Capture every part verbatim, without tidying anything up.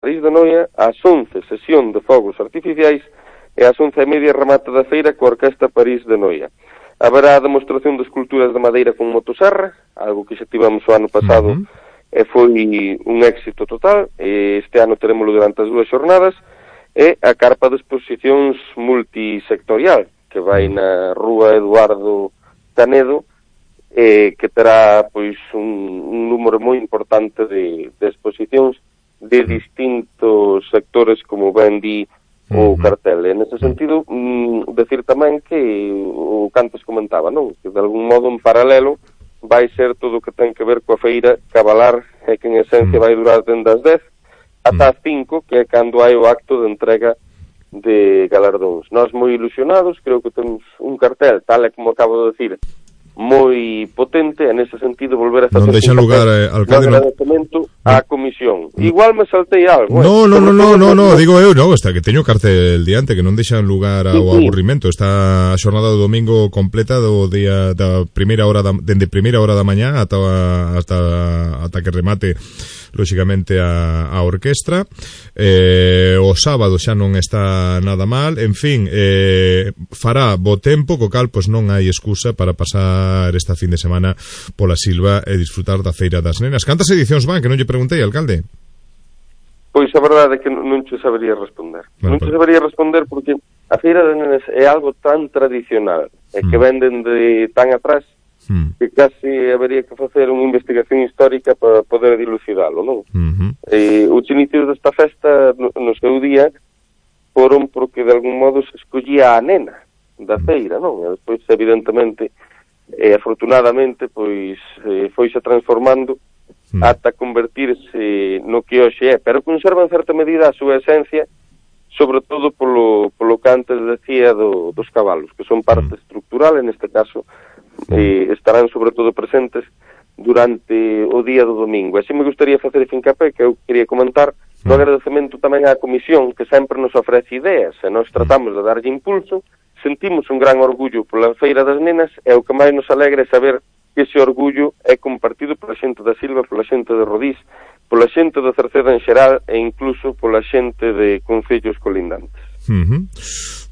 París de Noia, ás once, sesión de fogos artificiais, e ás once e media remate da feira coa Orquesta París de Noia. Haberá a demostración de esculturas de madeira con motoserra, algo que xa tivemos o ano pasado, uh-huh. e foi un éxito total. E este ano terémolo durante as dúas xornadas, e a carpa de exposicións multisectorial, que vai na Rúa Eduardo Canedo, eh, que terá pois un, un número moi importante de, de exposicións de distintos sectores, como ben di o cartel. E nese sentido, mm, decir tamén que o que antes comentaba, non? Que de algún modo en paralelo vai ser todo o que ten que ver coa feira Cabalar, e que en esencia vai durar dende as dez ata as cinco, que é cando hai o acto de entrega de galardóns. Nós moi ilusionados, creo que temos un cartel, tal e como acabo de decir, moi potente, en ese sentido volver a estar non deixan lugar, eh, alcalde, no agradecemento á comisión. Igual me saltei algo. No, eh, no, no, no, no, no, digo eu, no, está que teño cartel diante, que non deixan lugar ao sí, sí. aburrimento. Está a xornada do domingo completa do día da primeira hora da, dende primeira hora da mañá ata ata ata que remate lóxicamente a, a orquestra. Eh, o sábado xa non está nada mal, en fin, eh, fará bo tempo, co cal pois non hai excusa para pasar esta fin de semana pola Silva e disfrutar da Feira das Nenas. Cantas edicións van, que non lle preguntei, alcalde? Pois a verdade é que non che sabería responder. Bueno, non che sabería responder porque a Feira das Nenas é algo tan tradicional e que mm. venden de tan atrás mm. que casi habería que facer unha investigación histórica para poder dilucidalo, non? Mm-hmm. Eh, os inicios desta festa no, no seu día foron porque de algún modo se escollía a nena da feira, non? E despois, evidentemente, e afortunadamente, pois, eh, foise transformando mm. ata convertirse no que hoxe é, pero conserva en certa medida a súa esencia, sobre todo polo, polo que antes decía do, dos cabalos, que son parte mm. estructural, en este caso, eh, estarán sobre todo presentes durante o día do domingo. E así me gustaría facer fincapé, que eu quería comentar, no agradecemento tamén á comisión, que sempre nos ofrece ideas, e nós tratamos de darlle impulso. Sentimos un gran orgullo pola Feira das Nenas, e o que máis nos alegra é saber que ese orgullo é compartido pola xente da Silva, pola xente de Rodís, pola xente da Cerceda en xeral, e incluso pola xente de concellos colindantes. Uh-huh.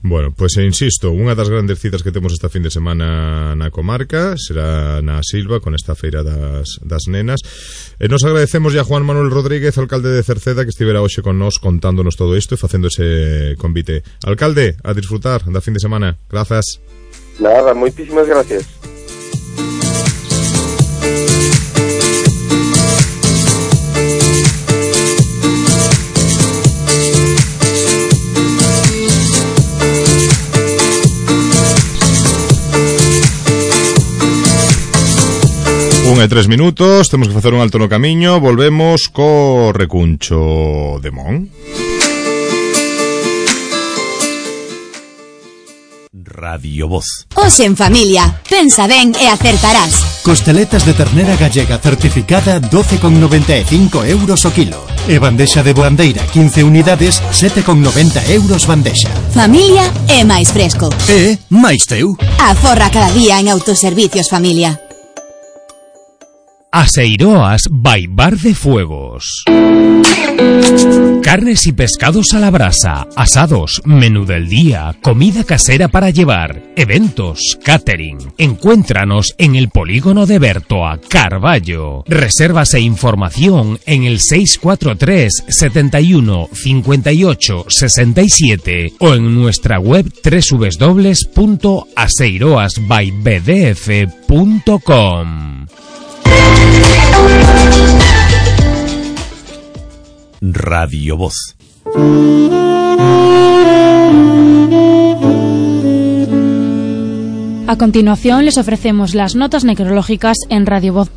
Bueno, pois pues, insisto, unha das grandes citas que temos esta fin de semana na comarca será na Silva, con esta Feira das, das Nenas. E nos agradecemos a Juan Manuel Rodríguez, alcalde de Cerceda, que estivera hoxe con nós contándonos todo isto e facendo ese convite. Alcalde, a disfrutar da fin de semana. Grazas. Nada, moitísimas gracias. Un e tres minutos, temos que facer un alto no camiño. Volvemos co recuncho de Mon. Radio Voz. Hoxe en familia, pensa ben e acertarás. Costeletas de ternera gallega certificada doce con noventa e cinco euros o kilo. E bandexa de boandeira quince unidades, sete con noventa euros bandexa. Familia é máis fresco. E máis teu. Aforra cada día en Autoservicios Familia. Aseiroas by Bar de Fuegos. Carnes y pescados a la brasa, asados, menú del día, comida casera para llevar, eventos, catering. Encuéntranos en el polígono de Bertoa, Carballo. Reservas e información en el seis cuatro tres, setenta y uno, cincuenta y ocho, sesenta y siete o en nuestra web doble u doble u doble u punto aseiroas by b d f punto com. Radio Voz. A continuación les ofrecemos las notas necrológicas en Radio Voz.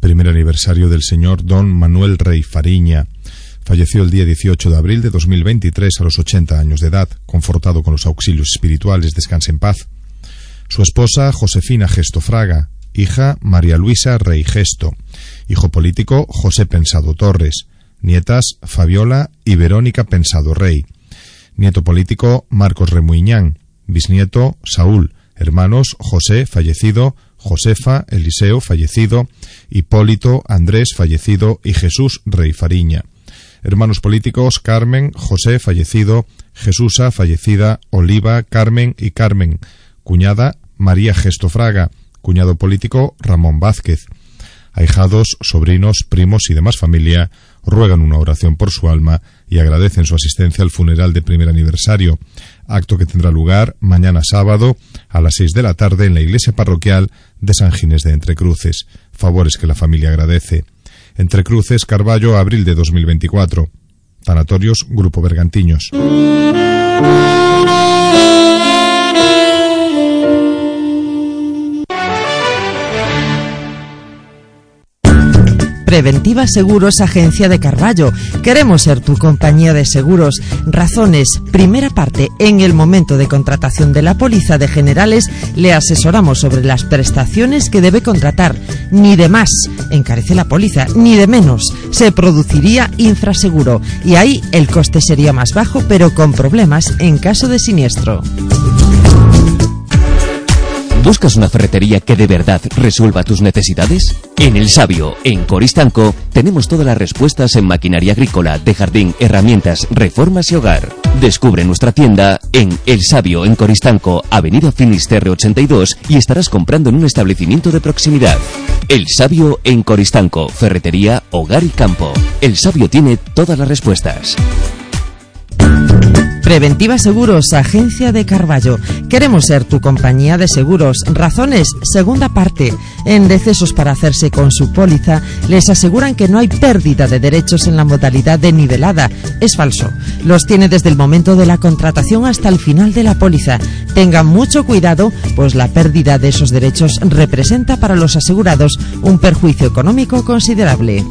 Primer aniversario del señor Don Manuel Rey Fariña. Falleció el día dieciocho de abril de dos mil veintitrés a los ochenta años de edad, confortado con los auxilios espirituales. Descanse en paz. Su esposa, Josefina Gesto Fraga. Hija, María Luisa Rey Gesto. Hijo político, José Pensado Torres. Nietas, Fabiola y Verónica Pensado Rey. Nieto político, Marcos Remuiñán. Bisnieto, Saúl. Hermanos, José, fallecido, Josefa, Eliseo, fallecido, Hipólito, Andrés, fallecido, y Jesús Rey Fariña. Hermanos políticos: Carmen, José, fallecido, Jesusa, fallecida, Oliva, Carmen y Carmen. Cuñada: María Gesto Fraga. Cuñado político: Ramón Vázquez. Ahijados, sobrinos, primos y demás familia ruegan una oración por su alma y agradecen su asistencia al funeral de primer aniversario, acto que tendrá lugar mañana sábado a las seis de la tarde en la iglesia parroquial de San Ginés de Entrecruces. Favores que la familia agradece. Entrecruces, Carballo, abril de dos mil veinticuatro. Tanatorios Grupo Bergantiños. Preventiva Seguros, agencia de Carballo. Queremos ser tu compañía de seguros. Razones: primera parte, en el momento de contratación de la póliza de generales le asesoramos sobre las prestaciones que debe contratar. Ni de más encarece la póliza, ni de menos. Se produciría infraseguro y ahí el coste sería más bajo, pero con problemas en caso de siniestro. ¿Buscas una ferretería que de verdad resuelva tus necesidades? En El Sabio, en Coristanco, tenemos todas las respuestas en maquinaria agrícola, de jardín, herramientas, reformas y hogar. Descubre nuestra tienda en El Sabio, en Coristanco, avenida Finisterre ochenta y dos, y estarás comprando en un establecimiento de proximidad. El Sabio, en Coristanco, ferretería, hogar y campo. El Sabio tiene todas las respuestas. Preventiva Seguros, agencia de Carballo. Queremos ser tu compañía de seguros. Razones: segunda parte. En decesos para hacerse con su póliza, les aseguran que no hay pérdida de derechos en la modalidad de nivelada. Es falso. Los tiene desde el momento de la contratación hasta el final de la póliza. Tengan mucho cuidado, pues la pérdida de esos derechos representa para los asegurados un perjuicio económico considerable.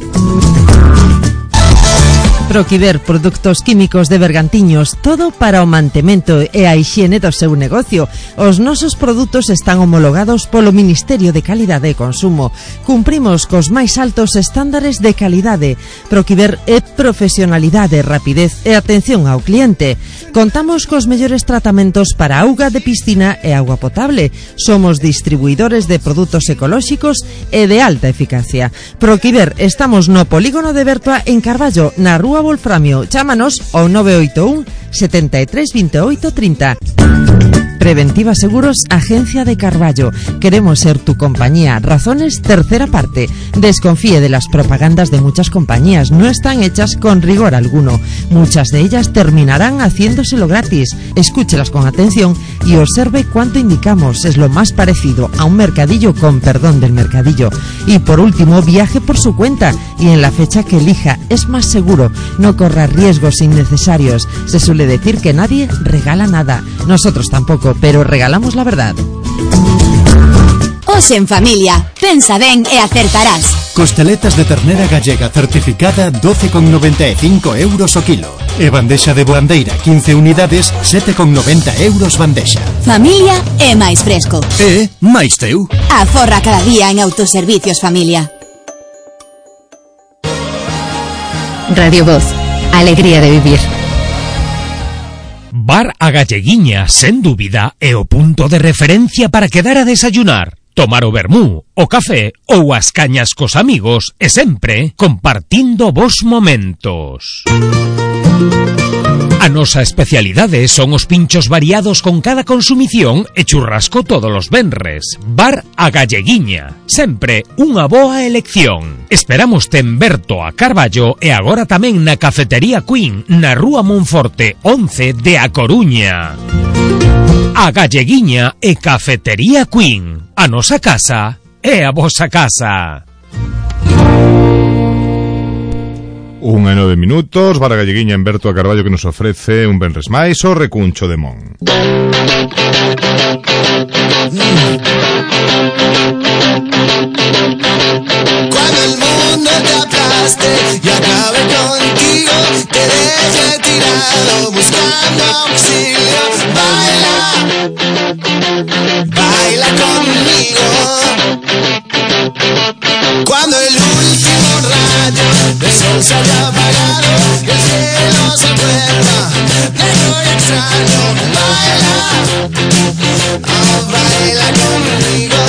Proquiver, produtos químicos de Bergantiños, todo para o mantemento e a hixiene do seu negocio. Os nosos produtos están homologados polo Ministerio de Calidade e Consumo. Cumprimos cos máis altos estándares de calidade. Proquiver é profesionalidade, rapidez e atención ao cliente. Contamos cos mellores tratamentos para auga de piscina e auga potable. Somos distribuidores de produtos ecolóxicos e de alta eficacia. Proquiver, estamos no polígono de Bertoa en Carballo, na Rúa Wolframio. Chámanos ao nove oito un, setenta e tres, veintiocho, treinta. Preventiva Seguros, agencia de Carballo. Queremos ser tu compañía. Razones: tercera parte. Desconfíe de las propagandas de muchas compañías. No están hechas con rigor alguno. Muchas de ellas terminarán haciéndoselo gratis. Escúchelas con atención y observe cuánto indicamos. Es lo más parecido a un mercadillo, con perdón del mercadillo. Y por último, viaje por su cuenta y en la fecha que elija. Es más seguro. No corra riesgos innecesarios. Se suele decir que nadie regala nada. Nosotros tampoco, pero regalamos la verdad. Os en familia, pensa ben e acertarás. Costeletas de ternera gallega certificada doce con noventa e cinco euros o kilo. E bandexa de boandeira quince unidades, sete con noventa euros bandexa. Familia é máis fresco. E máis teu. Aforra cada día en Autoservicios Familia. Radio Voz, alegría de vivir. Bar A Galleguiña, sen dúbida, é o punto de referencia para quedar a desayunar, tomar o vermú, o café ou as cañas cos amigos e sempre compartindo vos momentos. A nosa especialidade son os pinchos variados con cada consumición e churrasco todos os venres. Bar A Galleguiña, sempre unha boa elección. Esperamos en Berto a Carballo e agora tamén na Cafetería Queen, na Rúa Monforte once de A Coruña. A Galleguiña e Cafetería Queen. A nosa casa é a vosa casa. Unha e nove minutos, Bar A Galleguiña en Berto a Carballo, que nos ofrece un venres máis o recuncho de Mon. Cuando el mundo te aplaste y acabe contigo, te deje tirado buscando auxilio. Baila, baila conmigo. Cuando el último rayo del sol se haya apagado y el cielo se vuelva negro y extraño, baila, oh, baila conmigo.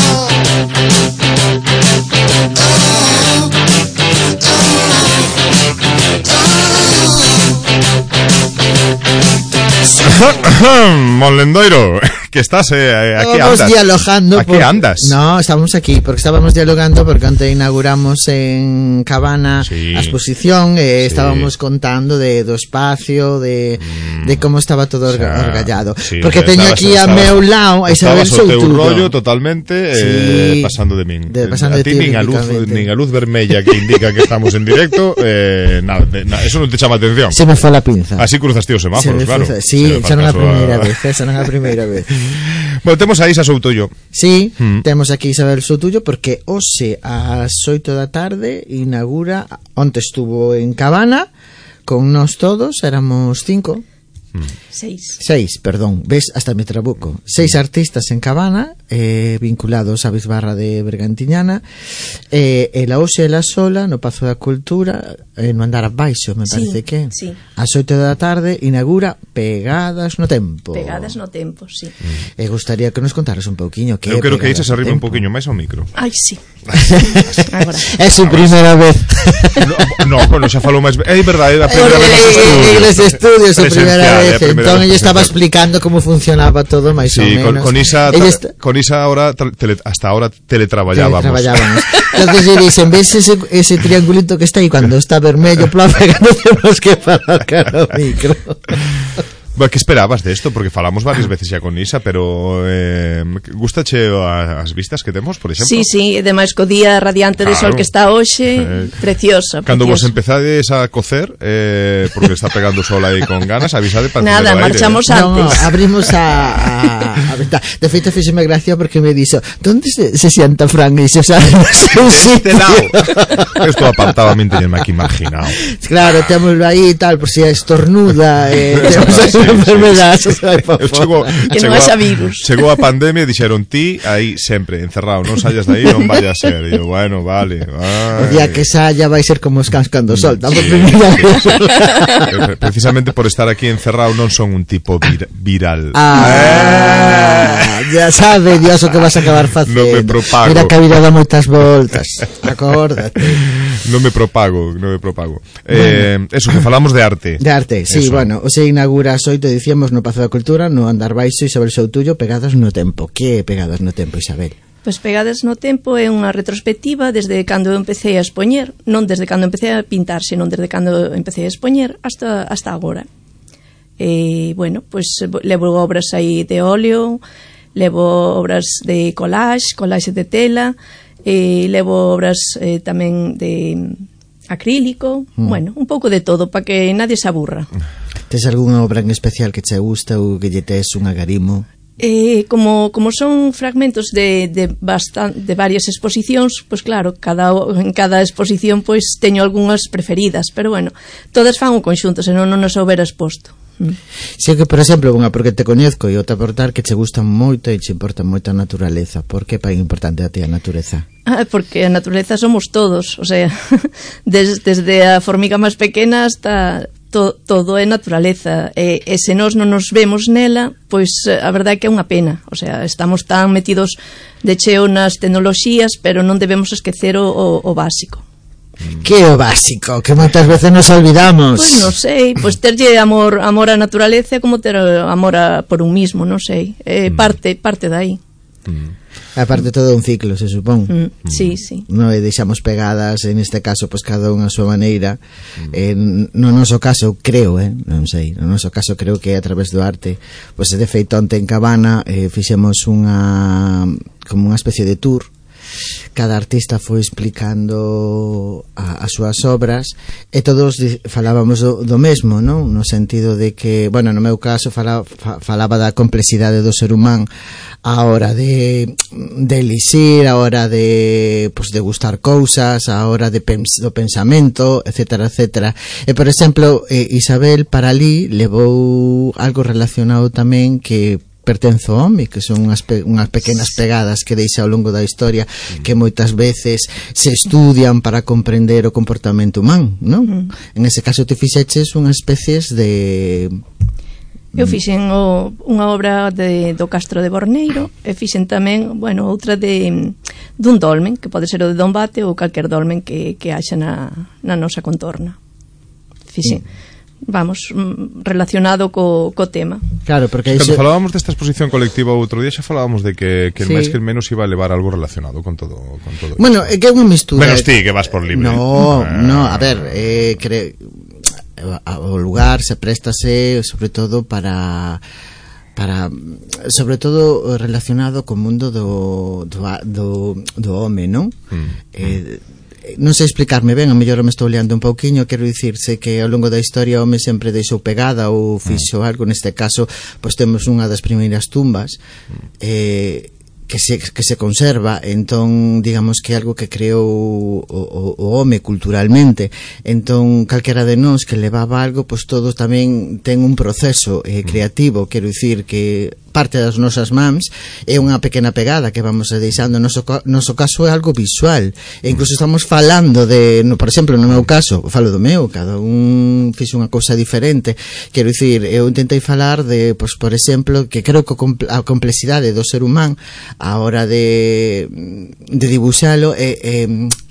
Monlendoiro, que estás eh, aquí estábamos andas. dialogando. ¿A por... qué andas? No, estábamos aquí porque estábamos dialogando porque antes inauguramos en Cabana sí. a exposición, eh, sí. estábamos contando de do espacio, de, mm. de como estaba todo o sea, orgallado. Sí, porque teño aquí a meu lado a Isabel Soutuyo. Estabas o teu rollo totalmente eh, sí. pasando de min. De, pasando a de ti ti, nin a luz, nin a luz vermella que indica que estamos en directo, eh, nada, na, eso non te chama atención. Se me foi la pinza. Así cruzaste os semáforos, claro. Fue, sí, xa non a primeira a... vez, xa non a primeira vez. Bueno, temos a Isa Soutuyo. Sí, mm. temos aquí Isabel Soutuyo porque hoxe ás oito da tarde inaugura, onte estuvo en Cabana con nós todos, éramos cinco. Seis. Seis, perdón, ves, hasta me trabuco. Seis artistas en Cabana, eh, vinculados á Bisbarra de Bergantiñana, eh, e la hoxe e la sola no Pazo da Cultura, eh, no andar abaixo, me parece sí, que sí. ás oito da tarde inaugura Pegadas no Tempo. Pegadas no Tempo, sí. E eh, gustaría que nos contaras un pouquiño que eu quero que Pegadas Isa se arriba un pouquiño máis ao micro. Ai, sí. Agora. É su primeira vez. No, no, bueno, xa falou máis. É verdade, é a primeira vez nos estudios. En primeira vez. Entón ella estaba explicando como funcionaba todo máis sí, ou menos. Con, con Isa está... con Isa ahora tele, hasta ahora teletraballábamos. Teletraballábamos. Entonces lle dixen, ves ese, ese triangulito que está aí cuando está vermello, plan, no temos que falar cara ao micro. Bueno, que esperabas de esto? Porque falamos varias veces xa con Isa, pero eh, gustache as vistas que temos, por exemplo? Sí, sí, ademais co día radiante de claro. sol que está hoxe, eh, preciosa. Cando vos empezades a cocer, eh, porque está pegando sol aí con ganas, avisade para nada, marchamos aire, antes. No, no, abrimos a, a, a ventana. De feito, fíxeme gracia porque me dixo, ¿dónde se, se sienta Fran? E dixo, sabe, no seu sitio. Estou apartado a min teñenme aquí imaginado. Claro, témoslo aí e tal, por si estornuda, eh, temos así enfermedades, sí, sí. Chegou, que non haxa virus. Chegou a pandemia e dixeron ti aí sempre encerrado, non sallas de aí, non vaya a ser. E eu, bueno, vale. Ay. O día que saia vai ser como os cans cando soltan sí, por primeira vez. Precisamente por estar aquí encerrado non son un tipo vir, viral. Ah, eh. Ya sabe Dios o que vas a acabar facendo. Non me propago. Mira que a vida dá moitas voltas. Acórdate. Non me propago, non me propago. Eh, bueno. Eso, que falamos de arte. De arte, sí, eso. Bueno, o se inaugura as oito, dicíamos, no Pazo da Cultura, no andar baixo, Isabel Soutuyo, Pegadas no Tempo. Que é Pegadas no Tempo, Isabel? Pois Pegadas no Tempo é unha retrospectiva desde cando eu empecé a expoñer, non desde cando empecé a pintar, senón desde cando empecé a expoñer hasta, hasta agora. E, bueno, pois levo obras aí de óleo, levo obras de collage, collage de tela, e levo obras eh, tamén de acrílico, mm. bueno, un pouco de todo para que nadie se aburra. Tes algunha obra en especial que che gusta ou que lle tes un agarimo? Eh, como, como son fragmentos de, de, bastan, de varias exposicións, pois claro, cada, en cada exposición pois teño algunhas preferidas, pero bueno, todas fan un conxunto, senón non nos houbera exposto. Mm. Si que, por exemplo, unha porque te coñezco e outra portar que che gusta moito e che importa moito a naturaleza. Por que é importante a ti a natureza? Ah, porque a natureza somos todos, o sea, des, desde a formiga máis pequena hasta to, todo é naturaleza, e, e se nós non nos vemos nela, pois a verdade é que é unha pena, o sea, estamos tan metidos de cheo nas tecnoloxías, pero non debemos esquecer o, o, o básico. Que é o básico? Que moitas veces nos olvidamos. Pois non sei, pois terlle amor, amor á naturaleza como ter amor a, por un mismo, non sei, é mm. parte, parte dai. Mm. Aparte todo un ciclo, se supón. Mm, sí, sí. Non e deixamos Pegadas, en este caso, pois cada unha a súa maneira. Mm. Eh, no noso caso, creo, eh, non sei, no noso caso creo que a través do arte, pois de feito onte en Cabana eh, fixemos unha como unha especie de tour. Cada artista foi explicando a, as súas obras e todos falábamos do, do mesmo, non? No sentido de que, bueno, no meu caso falaba, falaba da complexidade do ser humano a hora de, de elixir, a hora de, pues, de gustar cousas, a hora de pens, do pensamento, etcétera, etcétera. E, por exemplo, eh, Isabel para ali levou algo relacionado tamén que pertenzo ao home, que son unhas, pe, unhas pequenas pegadas que deixa ao longo da historia que moitas veces se estudian para comprender o comportamento humano, non? Mm. En ese caso te fixeches unhas especies de... Eu fixen o, unha obra de, do Castro de Borneiro e fixen tamén, bueno, outra de dun dolmen, que pode ser o de Dombate ou calquer dolmen que, que haxa na, na nosa contorna. Fixen. Mm. vamos, relacionado co, co tema. Claro, porque Cando iso... falábamos desta exposición colectiva outro día xa falábamos de que, que Sí. máis que el menos iba a levar algo relacionado con todo, con todo Bueno, é que é unha mistura. Menos ti, que vas por libre. No, Ah. no, a ver, eh, cre... o lugar se préstase sobre todo para para sobre todo relacionado co mundo do do, do, do home, non? Mm. Eh, non sei explicarme ben, a mellor me estou liando un pouquiño, quero dicirse que ao longo da historia o home sempre deixou pegada ou fixo algo, neste caso pois temos unha das primeiras tumbas eh, que se, que se conserva, entón digamos que é algo que creou o, o, o home culturalmente, entón calquera de nós que levaba algo, pois todos tamén ten un proceso eh, creativo, quero dicir que parte das nosas mans é unha pequena pegada que vamos deixando. No noso, noso caso é algo visual, e incluso estamos falando de, no, por exemplo, no meu caso, falo do meu, cada un fixo unha cousa diferente, quero dicir, eu intentei falar de, pois, por exemplo, que creo que a complexidade do ser humano a hora de de dibuxalo é, é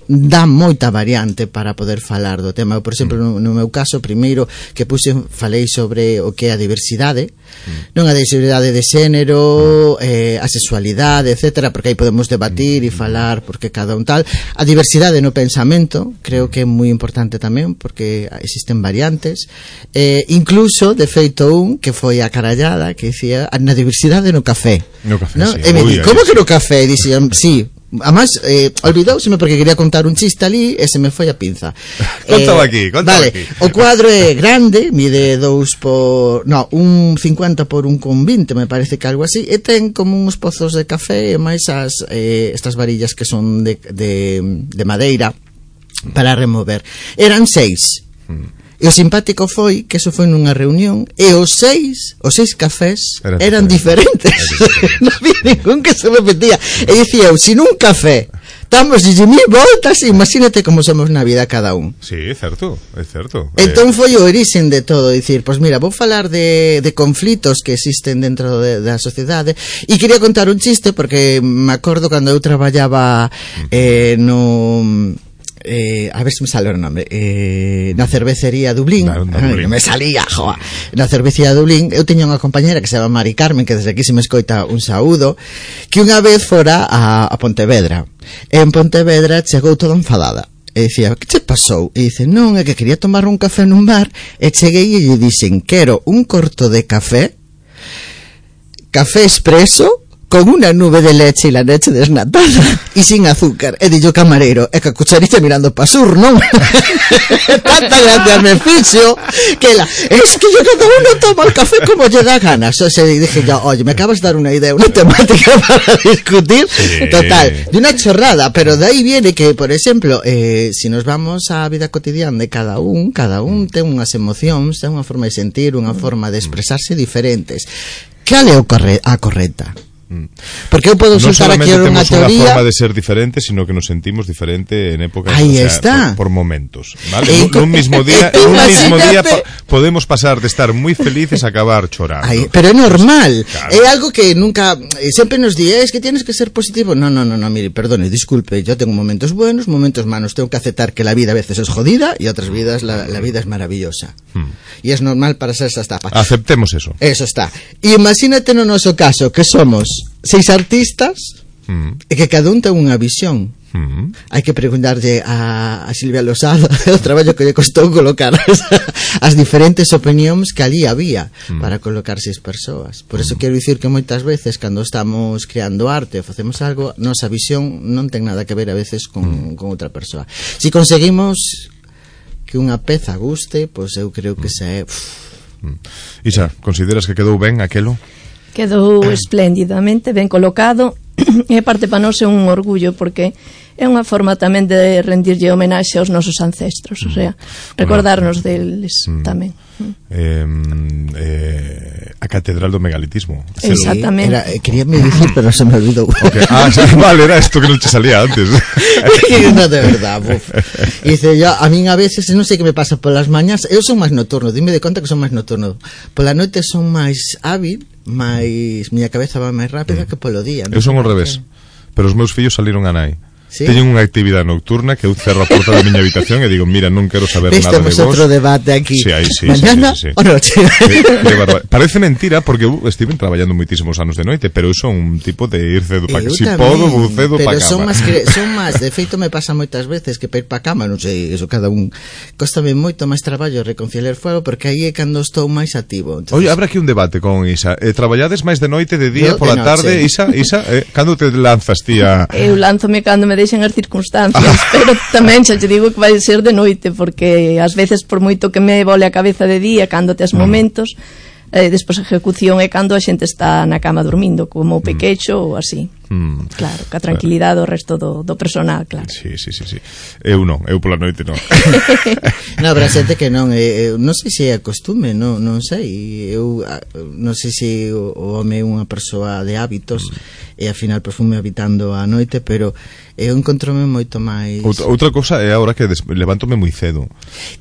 dá moita variante para poder falar do tema. Por exemplo, no, no meu caso, primeiro que puse, falei sobre o que é a diversidade, mm. non a diversidade de xénero, eh, a sexualidade, etcétera, porque aí podemos debatir e falar porque cada un tal. A diversidade no pensamento, creo que é moi importante tamén, porque existen variantes. Eh, incluso, de feito, un que foi a carallada, que dicía, na diversidade no café. No café, ¿no? sí. E me Uy, di, como sí. que no café? E dixen, sí. Además, eh, olvidouseme porque quería contar un chiste ali e se me foi a pinza. Contaba eh, aquí, contaba vale, aquí. O cuadro é grande, mide dous por... No, un cincuenta por un con vinte, me parece que algo así, e ten como uns pozos de café e máis as, eh, estas varillas que son de, de, de madeira para remover. Eran seis. Mm. E o simpático foi que eso foi nunha reunión e os seis, os seis cafés eran, eran diferentes, diferentes. Non había ningún que se repetía. E dicía eu, si nun café estamos de mil voltas, imagínate como somos na vida cada un. Sí, é certo, é certo. Entón foi o orixen de todo, dicir, pois mira, vou falar de, de conflitos que existen dentro de, da sociedade, e quería contar un chiste porque me acordo cando eu traballaba eh, no... Eh, a ver se me sale o nome, eh, na cervecería Dublín, no, no, Dublín. me salía, joa. Na cervecería Dublín eu teña unha compañera que se chama Mari Carmen, que desde aquí se me escoita un saúdo, que unha vez fora a, a Pontevedra, e en Pontevedra chegou toda enfadada e dicía, que che pasou? E dice, non, é que quería tomar un café nun bar e cheguei e lle dixen, quero un corto de café, café expreso con una nube de leche y la leche desnatada y sin azúcar. E dillo camarero, e que a cucharilla mirando pa sur, non? Tanta gracia me fixo que la, es que yo cada uno toma el café como lle da ganas. O sea, dije yo, oye, me acabas de dar una idea, una temática para discutir. Sí. Total, de una chorrada, pero de ahí viene que, por ejemplo, eh, si nos vamos á vida cotidiana de cada un, cada un ten unhas emocións, ten unha forma de sentir, unha forma de expresarse diferentes. Cal é o corre a correcta? Porque eu podo soltar aquí unha teoría. Non solamente temos unha forma de ser diferente, sino que nos sentimos diferente en épocas, aí o sea, está. Por, por momentos, ¿vale? En un mismo día, en un mismo día pa podemos pasar de estar muy felices a acabar chorando. Ay, pero é normal, claro. É algo que nunca, sempre nos di, es que tienes que ser positivo. No, no, no, no, mire, perdone, disculpe, yo tengo momentos buenos, momentos malos, tengo que aceptar que la vida a veces es jodida y otras vidas la, la vida es maravillosa. Hmm. Y es normal para ser esa etapa. Aceptemos eso. Eso está. Imagínate no noso caso que somos seis artistas mm. e que cada un ten unha visión. Mm. Hai que preguntarlle a, a Silvia Losada o traballo que lle costou colocar as, as diferentes opinións que ali había mm. para colocar seis persoas. Por eso mm. quero dicir que moitas veces cando estamos creando arte ou facemos algo, nosa visión non ten nada que ver a veces con, mm. con outra persoa. Si conseguimos que unha peza guste, pois eu creo que xa é... Mm. Isa, consideras que quedou ben aquelo? Quedou espléndidamente, ben colocado, e aparte para nós é un orgullo porque é unha forma tamén de rendirlle homenaxe aos nosos ancestros, o sea, recordarnos deles mm. tamén. Eh, eh, a Catedral do Megalitismo. Exactamente. Era, eh, quería me dicir, pero se me olvidou. Okay. Ah, vale, era esto que non te salía antes. No, de verdad, buf. Dice, yo, a min a veces, non sei que me pasa polas mañas, eu son máis nocturno, dime de conta que son máis nocturno. Pola noite son máis hábil, máis miña cabeza va máis rápida mm. que polo día. Eu son ao revés, pero os meus fillos saliron a nai. Sí? Teñen unha actividade nocturna que eu cerro a porta da miña habitación e digo, mira, non quero saber nada de vos. Temos outro debate aquí. Sí, aí, sí, Mañana sí, sí, sí, sí. o noche. Parece mentira porque eu estive traballando moitísimos anos de noite, pero eu son un tipo de ir cedo para que si podo, vou cedo para cama. Pero son máis que son máis, de feito me pasa moitas veces que para ir para cama, non sei, eso cada un cóstame moito máis traballo reconciliar fuego porque aí é cando estou máis activo. Entonces... Oye, habrá aquí un debate con Isa. Eh, traballades máis de noite, de día, pola tarde, Isa, Isa, eh, cando te lanzas ti a... Eu lánzome cando me deixen as circunstancias, pero tamén xa te digo que vai ser de noite, porque ás veces por moito que me vole a cabeza de día, cando tes momentos, eh, despois a ejecución é cando a xente está na cama dormindo, como o pequecho ou así. Mm. Claro, que a tranquilidade o resto do, do personal, claro. Sí, sí, sí, sí. Eu non, eu pola noite non. Non, habrá xente que non, eu, non sei se é a costume, non, non sei. Eu non sei se o, o home é unha persoa de hábitos mm. e ao final profume habitando a noite, pero eu encontrome moito máis. Outra, outra cosa é agora que des, levántome moi cedo.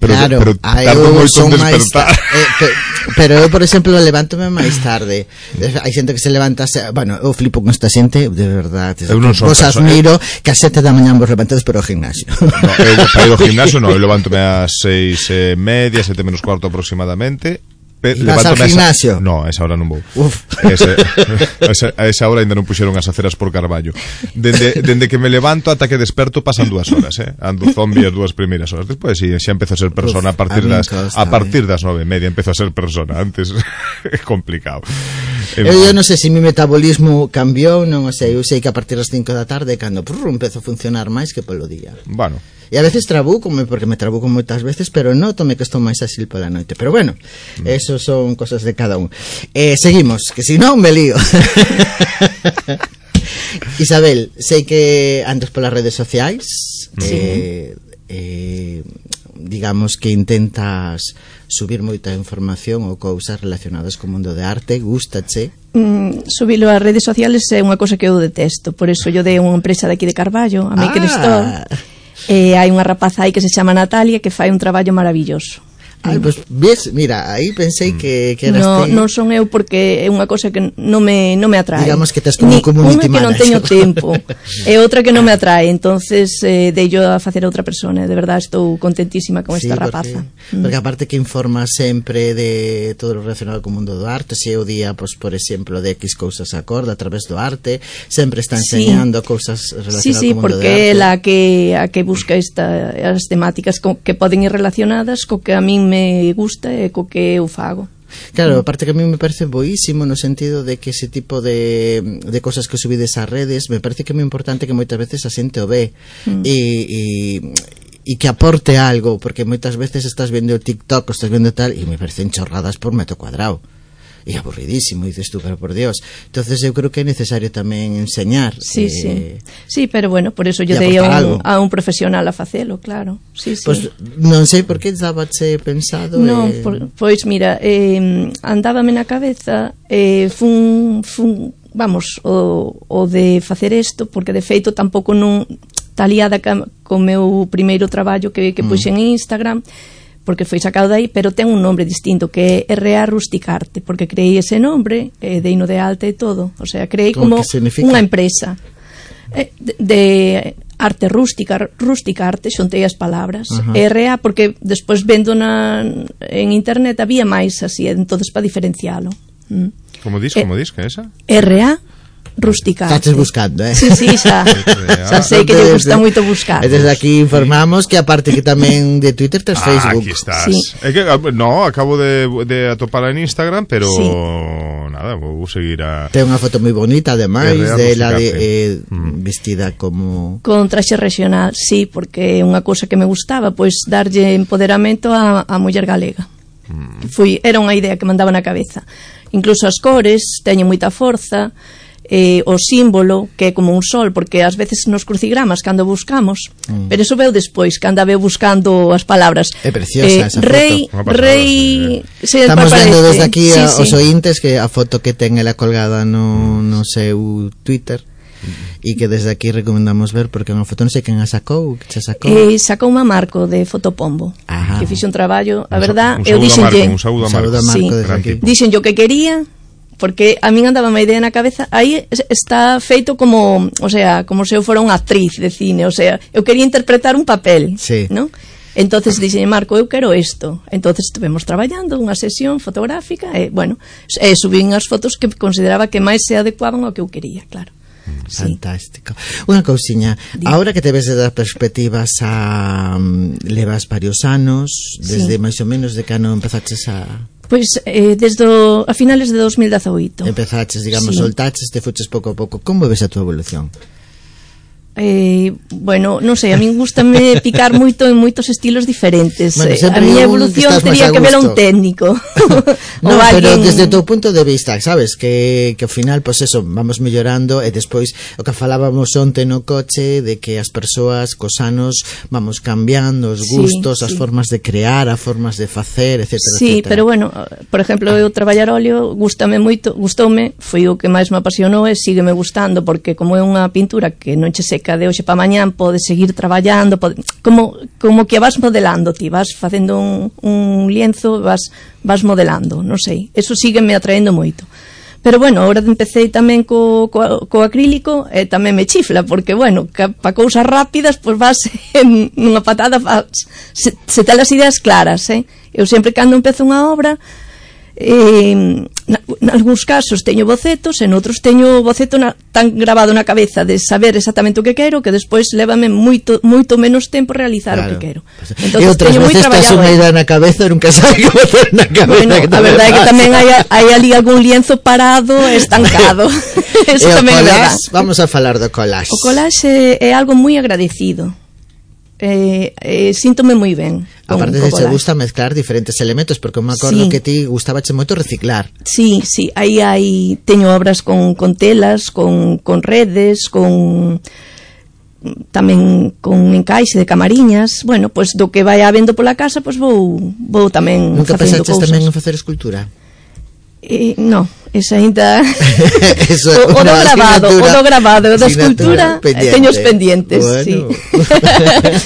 Pero, claro, pero tardo moito en despertar. Eh, pe, pero eu, por exemplo, levántome máis tarde. Hai xente que se levanta, bueno, eu flipo con esta xente, de verdade. Eu non son vos admiro que a sete da mañá vos levantades para o gimnasio. No, eu para ir ao gimnasio non, eu levántome ás seis e media, sete menos cuarto aproximadamente. Pe, vas ao gimnasio? Esa, no, a esa hora non vou. Uf. Ese, a, esa, a esa hora ainda non puxeron as aceras por Carballo. Dende, dende que me levanto ata que desperto pasan dúas horas, eh? Ando zombie as dúas primeiras horas. Despois sí, xa empezo a ser persona. Uf, a partir a das costa, a partir das nove e media empezo a ser persona. Antes é complicado. Eu, eu non sei se mi metabolismo cambiou, non o sei. Eu sei que a partir das cinco da tarde cando prrr, empezo a funcionar máis que polo día. Bueno. E a veces trabuco-me, porque me trabuco moitas veces, pero nótome que estou máis áxil pola noite. Pero bueno, mm. eso son cosas de cada un. Eh, seguimos, que si non me lío. Isabel, sei que andas polas redes sociais, sí. eh, eh, digamos que intentas subir moita información ou cousas relacionadas co mundo de arte, gústache? Mm, subilo ás redes sociales é unha cosa que eu detesto, por eso yo dei unha empresa de aquí de Carballo, a Maker ah. Store. Eh, hai unha rapaza aí que se chama Natalia que fai un traballo maravilloso. Ai, pues, ves, mira, aí pensei que, que eras no, ti. Non son eu porque é unha cosa que non me, non me atrae. Digamos que tes como un community manager. Unha que non teño tempo e outra que non me atrae, entonces eh, dei yo a facer a outra persona. De verdade estou contentísima con sí, esta porque, rapaza. Porque aparte que informa sempre de todo o relacionado co mundo do arte, se é o día, pues, por exemplo, de X cousas acorda a través do arte, sempre está enseñando sí. cousas relacionadas sí, sí, co mundo do arte. Sí, sí, porque é la que, a que busca esta, as temáticas co, que poden ir relacionadas co que a min me gusta e co que eu fago. Claro, aparte que a mí me parece boísimo no sentido de que ese tipo de, de cosas que subides ás redes me parece que é moi importante que moitas veces a xente o ve mm. e, e, e que aporte algo, porque moitas veces estás vendo o TikTok ou estás vendo tal e me parecen chorradas por metro cuadrado e aburridísimo, dices tú, pero por Dios. Entonces eu creo que é necesario tamén enseñar. Sí, eh, sí. Sí, pero bueno, por eso yo dei a un, a un profesional a facelo, claro. Sí, sí. Pues non sei por que dábache pensado. Non, eh... por, pois mira, eh, andábame na cabeza, eh, fun, fun, vamos, o, o de facer isto, porque de feito tampouco non está liada ca, co meu primeiro traballo que, que puxen en Instagram, porque foi sacado dai, pero ten un nombre distinto que é R A Rusticarte, porque creei ese nombre, eh, deino de alta e todo, o sea, creei como unha empresa eh, de, de arte rústica, rusticarte, xontei as palabras, uh-huh. R A, porque despois vendo na, en internet había máis así, entonces para diferencialo. Mm. Como dis, como dis, que é esa? R A Rusticarte. Estás buscando, eh? Sí, sí, xa. Xa sei que lle gusta moito buscar. E desde aquí informamos que aparte que tamén de Twitter tes ah, Facebook. Aquí estás. Sí. É que, no, acabo de, de atopar en Instagram, pero sí. nada, vou seguir a... Ten unha foto moi bonita, ademais, de la de, eh, mm. vestida como... Con traxe regional, sí, porque é unha cousa que me gustaba, pois darlle empoderamento a, a muller galega. Mm. Fui, era unha idea que mandaba na cabeza. Incluso as cores teñen moita forza, eh, o símbolo que é como un sol, porque ás veces nos crucigramas cando buscamos, mm. pero eso veo despois, que anda veo buscando as palabras. É preciosa eh, esa rei, foto. Rei, sí, estamos vendo desde aquí a, sí, os sí. ointes que a foto que ten ela colgada no, no seu Twitter e que desde aquí recomendamos ver, porque unha foto non sei quen a sacou, que se sacou. Eh, sacou unha Marco de Fotopombo. Ajá. Que fixe un traballo, a verdad, un eu dixenlle, un saúdo a Marco, sí, desde aquí. Dixen yo que quería porque a min andaba unha idea na cabeza, aí está feito como, o sea, como se eu fora unha actriz de cine, o sea, eu quería interpretar un papel, sí. ¿no? Entonces dixen, Marco, eu quero isto. Entonces estuvemos traballando unha sesión fotográfica e, bueno, e subín as fotos que consideraba que máis se adecuaban ao que eu quería, claro. Fantástico. Unha cousiña, agora que te ves da perspectiva xa um, levas varios anos, desde sí. máis ou menos de que ano empezaches a... Pois eh, desde o, a finales de dos mil dezaoito. Empezaches, digamos, sí. soltaches, te fuches pouco a pouco. Como ves a tua evolución? Eh, bueno, non sei, a min gustame picar moito en moitos estilos diferentes. Bueno, a miña evolución teria que ver a un técnico. No, pero alguien... desde o teu punto de vista, sabes, que, que ao final, pues eso, vamos mellorando e despois o que falábamos onte no coche de que as persoas cos anos vamos cambiando os gustos, sí, as sí. formas de crear, as formas de facer, etcétera, Sí, etcétera. pero bueno, por exemplo, eu traballar óleo gustame moito, gustoume, foi o que máis me apasionou e sígueme gustando porque como é unha pintura que non che seca de hoxe pa mañán, podes seguir traballando, pode, como, como que vas modelando ti, vas facendo un, un lienzo, vas, vas modelando, non sei, eso sígueme atraendo moito. Pero bueno, agora empecé tamén co, co, co acrílico e tamén me chifla, porque bueno, para cousas rápidas, pois vas en unha patada, vas, se, se te as ideas claras, eh? Eu sempre cando empezo unha obra, eh, en algúns casos teño bocetos, en outros teño boceto na, tan grabado na cabeza de saber exactamente o que quero que despois lévame moito moito menos tempo realizar claro. o que quero. Entonces, e outras veces estás unha idea na cabeza e nunca sabes que botar na cabeza. Bueno, a verdade é que tamén hai, hai ali algún lienzo parado, estancado. Eso e tamén é verdade. Vamos a falar do collage. O collage é, é algo moi agradecido. Eh, eh, síntome moi ben. Aparte de que gusta mezclar diferentes elementos, porque me acordo sí. que ti gustabache moito reciclar. Sí, sí, aí hai teño obras con, con telas, con, con redes, con tamén con encaixe de camariñas. Bueno, pois pues, do que vai habendo pola casa, pois pues, vou vou tamén Nunca facendo cousas. Nunca pensaches tamén en facer escultura? Eh, no, esa ainda Eso, o, o do grabado, o do grabado, o da escultura teño os pendientes, bueno. Sí.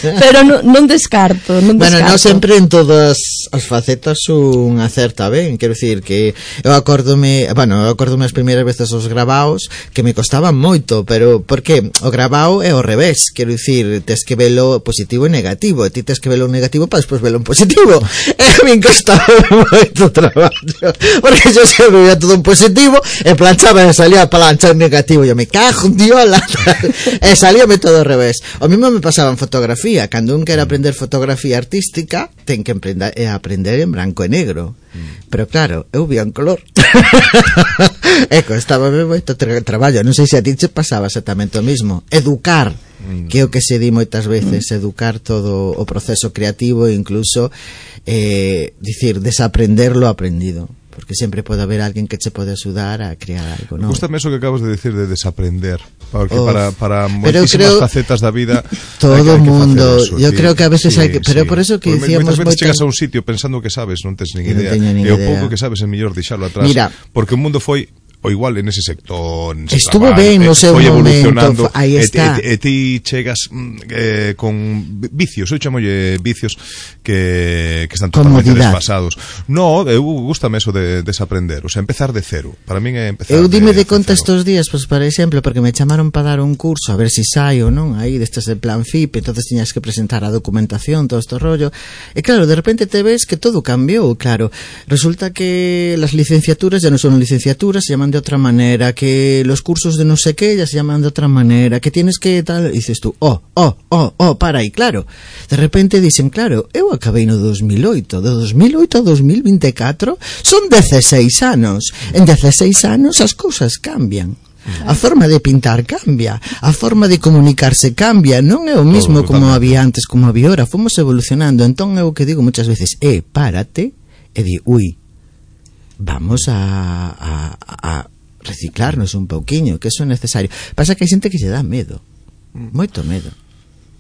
Pero non, non descarto, non bueno, descarto. non sempre en todas as facetas un acerta ben, quero dicir que eu acórdome, bueno, eu acórdome as primeiras veces os grabaos que me costaban moito, pero porque o grabao é ao revés, quero dicir, tes que velo positivo e negativo, e ti tes que velo negativo para despois velo en positivo. E me costaba moito traballo, porque yo se veía todo en positivo e planchaba e salía a plancha en negativo e eu me cajo en diola e salíame todo ao revés. O mismo me pasaba en fotografía, cando un quere aprender fotografía artística ten que aprender, e aprender en branco e negro, pero claro, eu vía en color e costábame moito tra traballo. Non sei se a ti te pasaba exactamente o mismo. Educar, que é o que se di moitas veces, educar todo o proceso creativo e incluso eh, dicir, desaprender lo aprendido, porque sempre pode haber alguén que che pode axudar a crear algo, non? Gústame eso que acabas de decir de desaprender, porque oh, para, para moitísimas facetas da vida todo o mundo, yo creo que a veces sí, hai que, pero sí. Por eso que dicíamos moitas veces chegas a un sitio pensando que sabes, non tes nin idea, no e o pouco que sabes é mellor deixalo atrás. Mira, porque o mundo foi o igual en ese sector nese estuvo trabalho, ben no seu momento, aí está, e ti chegas eh, con vicios, eu chamolle vicios que, que están totalmente comodidad. Desfasados. No, eu gustame eso de desaprender, o sea, empezar de cero. Para min é empezar eu dime de, de conta estos días, pues, por exemplo, porque me chamaron para dar un curso a ver si saio, non? Aí destes de plan F I P, entonces tiñas que presentar a documentación, todo este rollo, e claro, de repente te ves que todo cambiou, claro, resulta que las licenciaturas ya non son licenciaturas, se llaman de otra manera, que los cursos de no sé qué ya se llaman de otra manera, que tienes que tal, y dices tú, oh, oh, oh, oh, para aí, claro, de repente dicen, claro, eu acabei no dos mil oito, de dos mil oito a dos mil veinticuatro son dieciséis anos, en dieciséis anos as cousas cambian, a forma de pintar cambia, a forma de comunicarse cambia, non é o mismo como había antes, como había ahora, fomos evolucionando. Entón eu que digo muchas veces, eh, párate e di, ui, vamos a, a, a reciclarnos un pouquiño, que eso é necesario. Pasa que hai xente que se dá medo, moito medo.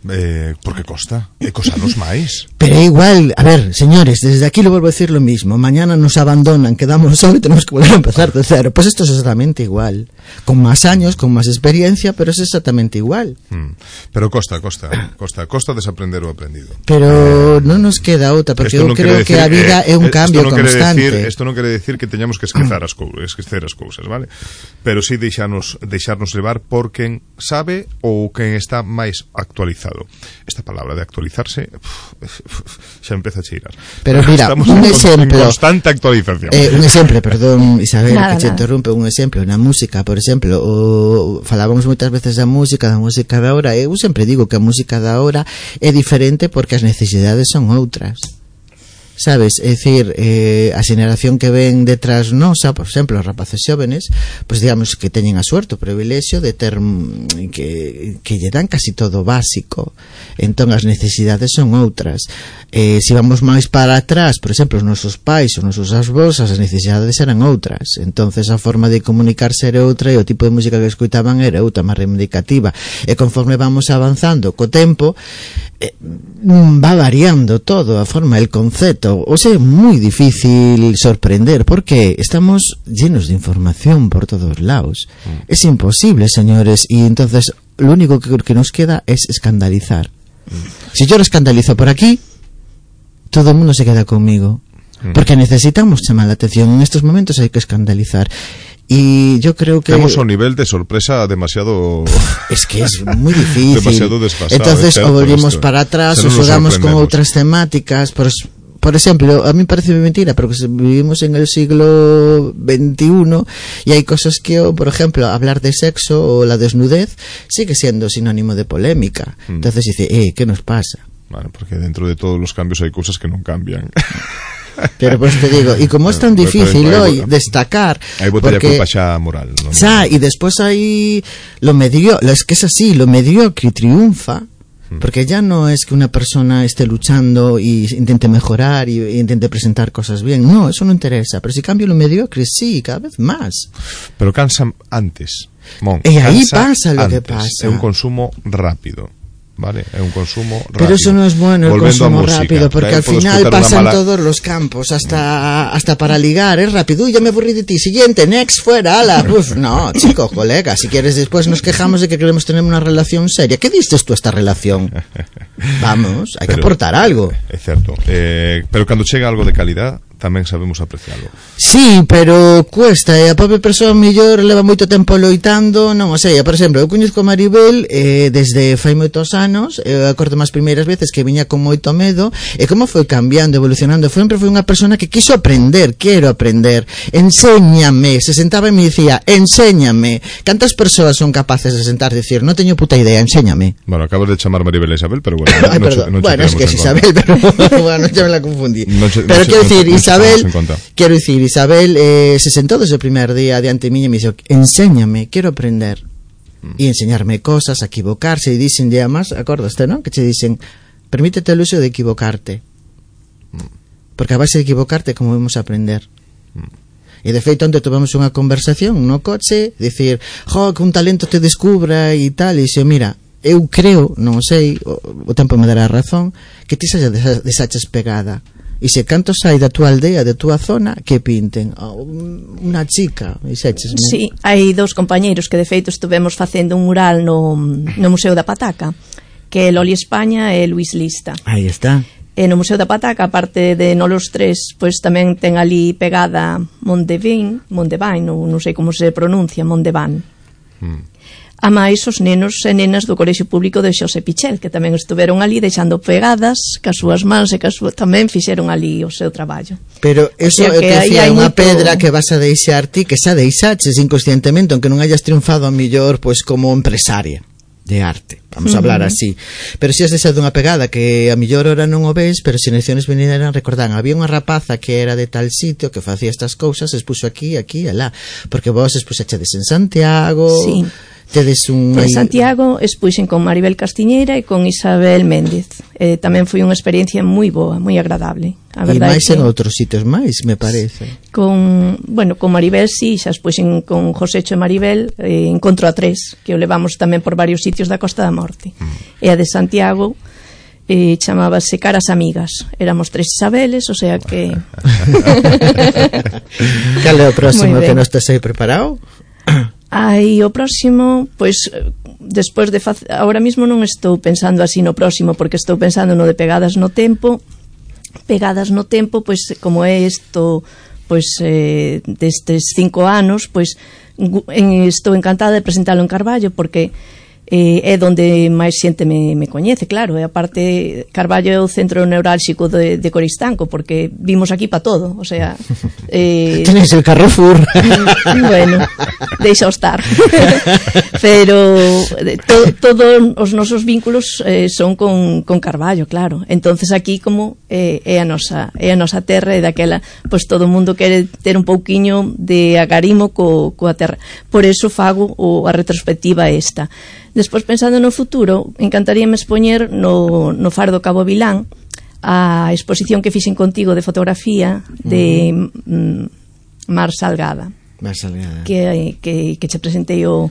Eh, porque costa, e cosanos máis. Pero é igual, a ver, señores, desde aquí lo vuelvo a decir lo mismo. Mañana nos abandonan, quedamos solos y tenemos que volver a empezar de cero. Pues esto es exactamente igual. Con más años, con más experiencia, pero es exactamente igual. Mm. Pero costa, costa, costa, costa desaprender o aprendido. Pero eh, non nos queda outra, porque eu no creo que a vida é un cambio no constante. Isto non quere decir que teñamos que esquecer as cousas, esquecer as cousas, vale? Pero sí deixarnos, deixarnos levar por quen sabe ou quen está máis actualizado. Esta palabra de actualizarse xa empeza a cheirar. Pero mira, estamos un en, exemplo, en constante actualización. Eh, un exemplo, perdón, Isabel, nada, que te interrumpe, un exemplo na música, por exemplo, o, falábamos moitas veces da música, da música da hora. Eu sempre digo que a música da hora é diferente porque as necesidades son outras. Sabes, é dicir, eh, a xeneración que ven detrás nosa, por exemplo, os rapaces xóvenes, pois digamos que teñen a suerte, o privilexio de ter que, que lle dan casi todo básico, entón as necesidades son outras. Eh, se vamos máis para atrás, por exemplo, os nosos pais, os nosos avós, as necesidades eran outras, entonces a forma de comunicarse era outra e o tipo de música que escoitaban era outra, máis reivindicativa, e conforme vamos avanzando co tempo, eh, va variando todo, a forma, el concepto. O sea, es muy difícil sorprender porque estamos llenos de información por todos lados. Mm. Es imposible, señores, y entonces lo único que, que nos queda es escandalizar. Mm. Si yo lo escandalizo por aquí, todo el mundo se queda conmigo. Mm. Porque necesitamos llamar la atención. En estos momentos hay que escandalizar. Y yo creo que tenemos un nivel de sorpresa demasiado, es que es muy difícil, demasiado desfasado. Entonces o volvemos esto. para atrás o jugamos con otras temáticas. Por, por ejemplo, a mí parece mentira, pero que vivimos en el siglo veintiuno y hay cosas que, por ejemplo, hablar de sexo o la desnudez sigue siendo sinónimo de polémica. Mm. Entonces dice, eh, ¿qué nos pasa? Bueno, porque dentro de todos los cambios hay cosas que no cambian. Pero pues te digo, y como es tan difícil pero, pero, hoy hay, destacar, hay porque ya moral, ¿no? Ya, y después hay lo medio, es que es así, lo mediocre triunfa, hmm. porque ya no es que una persona esté luchando y intente mejorar y, y intente presentar cosas bien, no, eso no interesa, pero si cambio lo mediocre, sí, cada vez más. Pero cansa antes, Mon, y ahí pasa lo antes. que pasa. Es un consumo rápido. Vale, es un consumo rápido. Pero eso no es bueno, el Volvendo consumo rápido, porque al final pasan mala... todos los campos, hasta hasta para ligar, es rápido. Uy, ya me aburrí de ti, siguiente, next, fuera, ala. Uf, no, chico, colega, si quieres después nos quejamos de que queremos tener una relación seria. ¿Qué dices tú a esta relación? Vamos, hay pero, que aportar algo. Es cierto, eh, pero cuando llega algo de calidad, tamén sabemos apreciarlo. Sí, pero cuesta, e a pobre persoa mellor leva moito tempo loitando, non o sei, por exemplo, eu coñezco a Maribel eh, desde fai moitos anos, eu acordo máis primeiras veces que viña con moito medo, e como foi cambiando, evolucionando, sempre foi unha persona que quiso aprender, quero aprender, enséñame, se sentaba e me dicía, enséñame. Cantas persoas son capaces de sentar e dicir, non teño puta idea, enséñame? Bueno, acabas de chamar Maribel a Isabel, pero bueno, Ay, no, perdón. no, no bueno, es que es Isabel, pero bueno, ya me la confundí. No, pero no, quiero no, decir, no, Isabel, quiero decir, Isabel eh, se sentó desde el primer día diante mí y me dijo, enséñame, quiero aprender. Mm. Y enseñarme cosas, a equivocarse, y dicen ya más, acordaste, ¿no? Que te dicen, permítete el uso de equivocarte. Mm. Porque a base de equivocarte, como vamos a aprender. Mm. E de feito, onde tuvemos unha conversación no coche, dicir, jo, que un talento te descubra e tal, e dixo, mira, eu creo, non sei, o, o tempo me dará razón, que ti xa desaches pegada. E se canto sai da túa aldea, da túa zona, que pinten oh, unha chica, e xeches, sí, hai dous compañeiros que de feito estuvemos facendo un mural no, no Museo da Pataca, que é Loli España e Luis Lista. Aí está. E no Museo da Pataca, aparte de nolos tres, pois tamén ten ali pegada Mondevin, Mondevin, non, non sei como se pronuncia, Mondevan. Hmm. A máis os nenos e nenas do Colexio Público de Xosé Pichel, que tamén estuveron ali deixando pegadas cas súas mans e cas súas, tamén fixeron ali o seu traballo. Pero eso é o que decía, unha moito... pedra que vas a deixar ti, que xa deixaches inconscientemente, aunque non hayas triunfado a millor pois como empresaria de arte, vamos a hablar uh-huh. así, pero si has deixado unha pegada que a millor hora non o ves, pero se xeracións venideran recordan, había unha rapaza que era de tal sitio que facía estas cousas, expuxo aquí, aquí, alá, porque vos expuxachedes en Santiago, sí. Tedes un... En Santiago expuxen con Maribel Castiñeira e con Isabel Méndez. Eh, tamén foi unha experiencia moi boa, moi agradable. A e máis que... en outros sitios máis, me parece. Con, bueno, con Maribel sí, xa expuxen con Josécho e Maribel eh, Encontro a tres, que o levamos tamén por varios sitios da Costa da Morte. Mm. E a de Santiago eh, chamábase Caras Amigas. Éramos tres Isabeles, o sea que... Cal é o próximo que non estás aí preparado? Aí o próximo, pois despois de facer, ahora mismo non estou pensando así no próximo, porque estou pensando no de Pegadas no Tempo. Pegadas no Tempo, pois como é isto, pois eh, destes cinco anos, pois en, estou encantada de presentalo en Carballo, porque eh, é donde máis xente me, me coñece, claro, e aparte Carballo é o centro neurálxico de, de Coristanco, porque vimos aquí pa todo, o sea eh, tenéis el Carrefour. Bueno, deixa estar. Pero to, todos os nosos vínculos eh, son con, con Carballo, claro. Entonces aquí como eh, é a nosa é a nosa terra, e daquela pois todo o mundo quere ter un pouquiño de agarimo co, coa terra. Por eso fago o, a retrospectiva esta. Despois, pensando no futuro, encantaríame expoñer no, no Faro do Cabo Vilán a exposición que fixen contigo de fotografía de uh -huh. mm, Mar Salgada, Mar Salgada. Que, que, que che presentei o,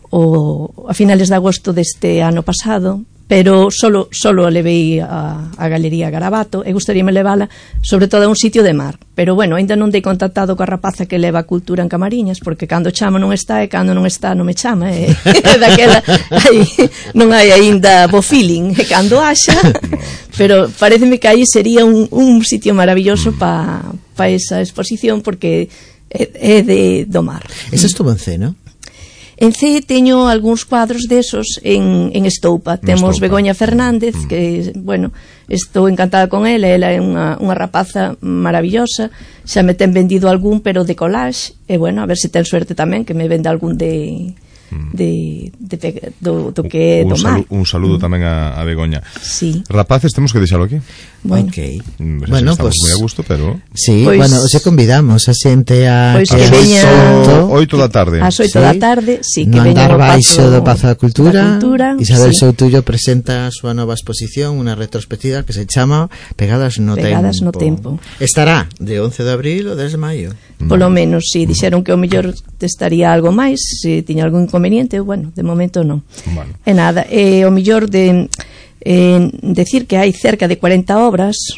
o, a finales de agosto deste ano pasado, pero solo, solo a levei a, a Galería Garabato, e gustaríame levala sobre todo a un sitio de mar, pero bueno, ainda non dei contactado coa rapaza que leva a cultura en Camariñas, porque cando chamo non está, e cando non está non me chama, e daquela aí, non hai aínda bo feeling, e cando haxa, pero pareceme que aí sería un, un sitio maravilloso pa, pa esa exposición, porque é, é de, do mar. Eso estuvo en C, non? En C teño algúns cuadros desos en, en Estoupa. Temos Estoupa. Begoña Fernández, mm. que, bueno, estou encantada con ela. Ela é unha, unha rapaza maravillosa. Xa me ten vendido algún, pero de collage. E, bueno, a ver se ten suerte tamén, que me venda algún de... de, de, de do, do que é do mar. Un saludo mm. tamén a, a Begoña. Sí. Rapaces, temos que deixalo aquí. Bueno, okay. mm, bueno, estamos pues, moi a gusto, pero sí, pues, bueno, os convidamos a xente a pues que, que veña oito da tarde. Ás oito sí. da tarde, sí, que no veña andar baixo do Pazo da Cultura. cultura Isabel sí. Soutullo presenta a súa nova exposición, unha retrospectiva que se chama Pegadas no Pegadas Tempo. no Tempo. Estará de once de abril ou dez de maio. Polo menos, si, sí, dixeron que o mellor estaría algo máis, se tiña algún inconveniente, bueno, de momento non. Bueno. E nada, e o mellor de eh, decir que hai cerca de cuarenta obras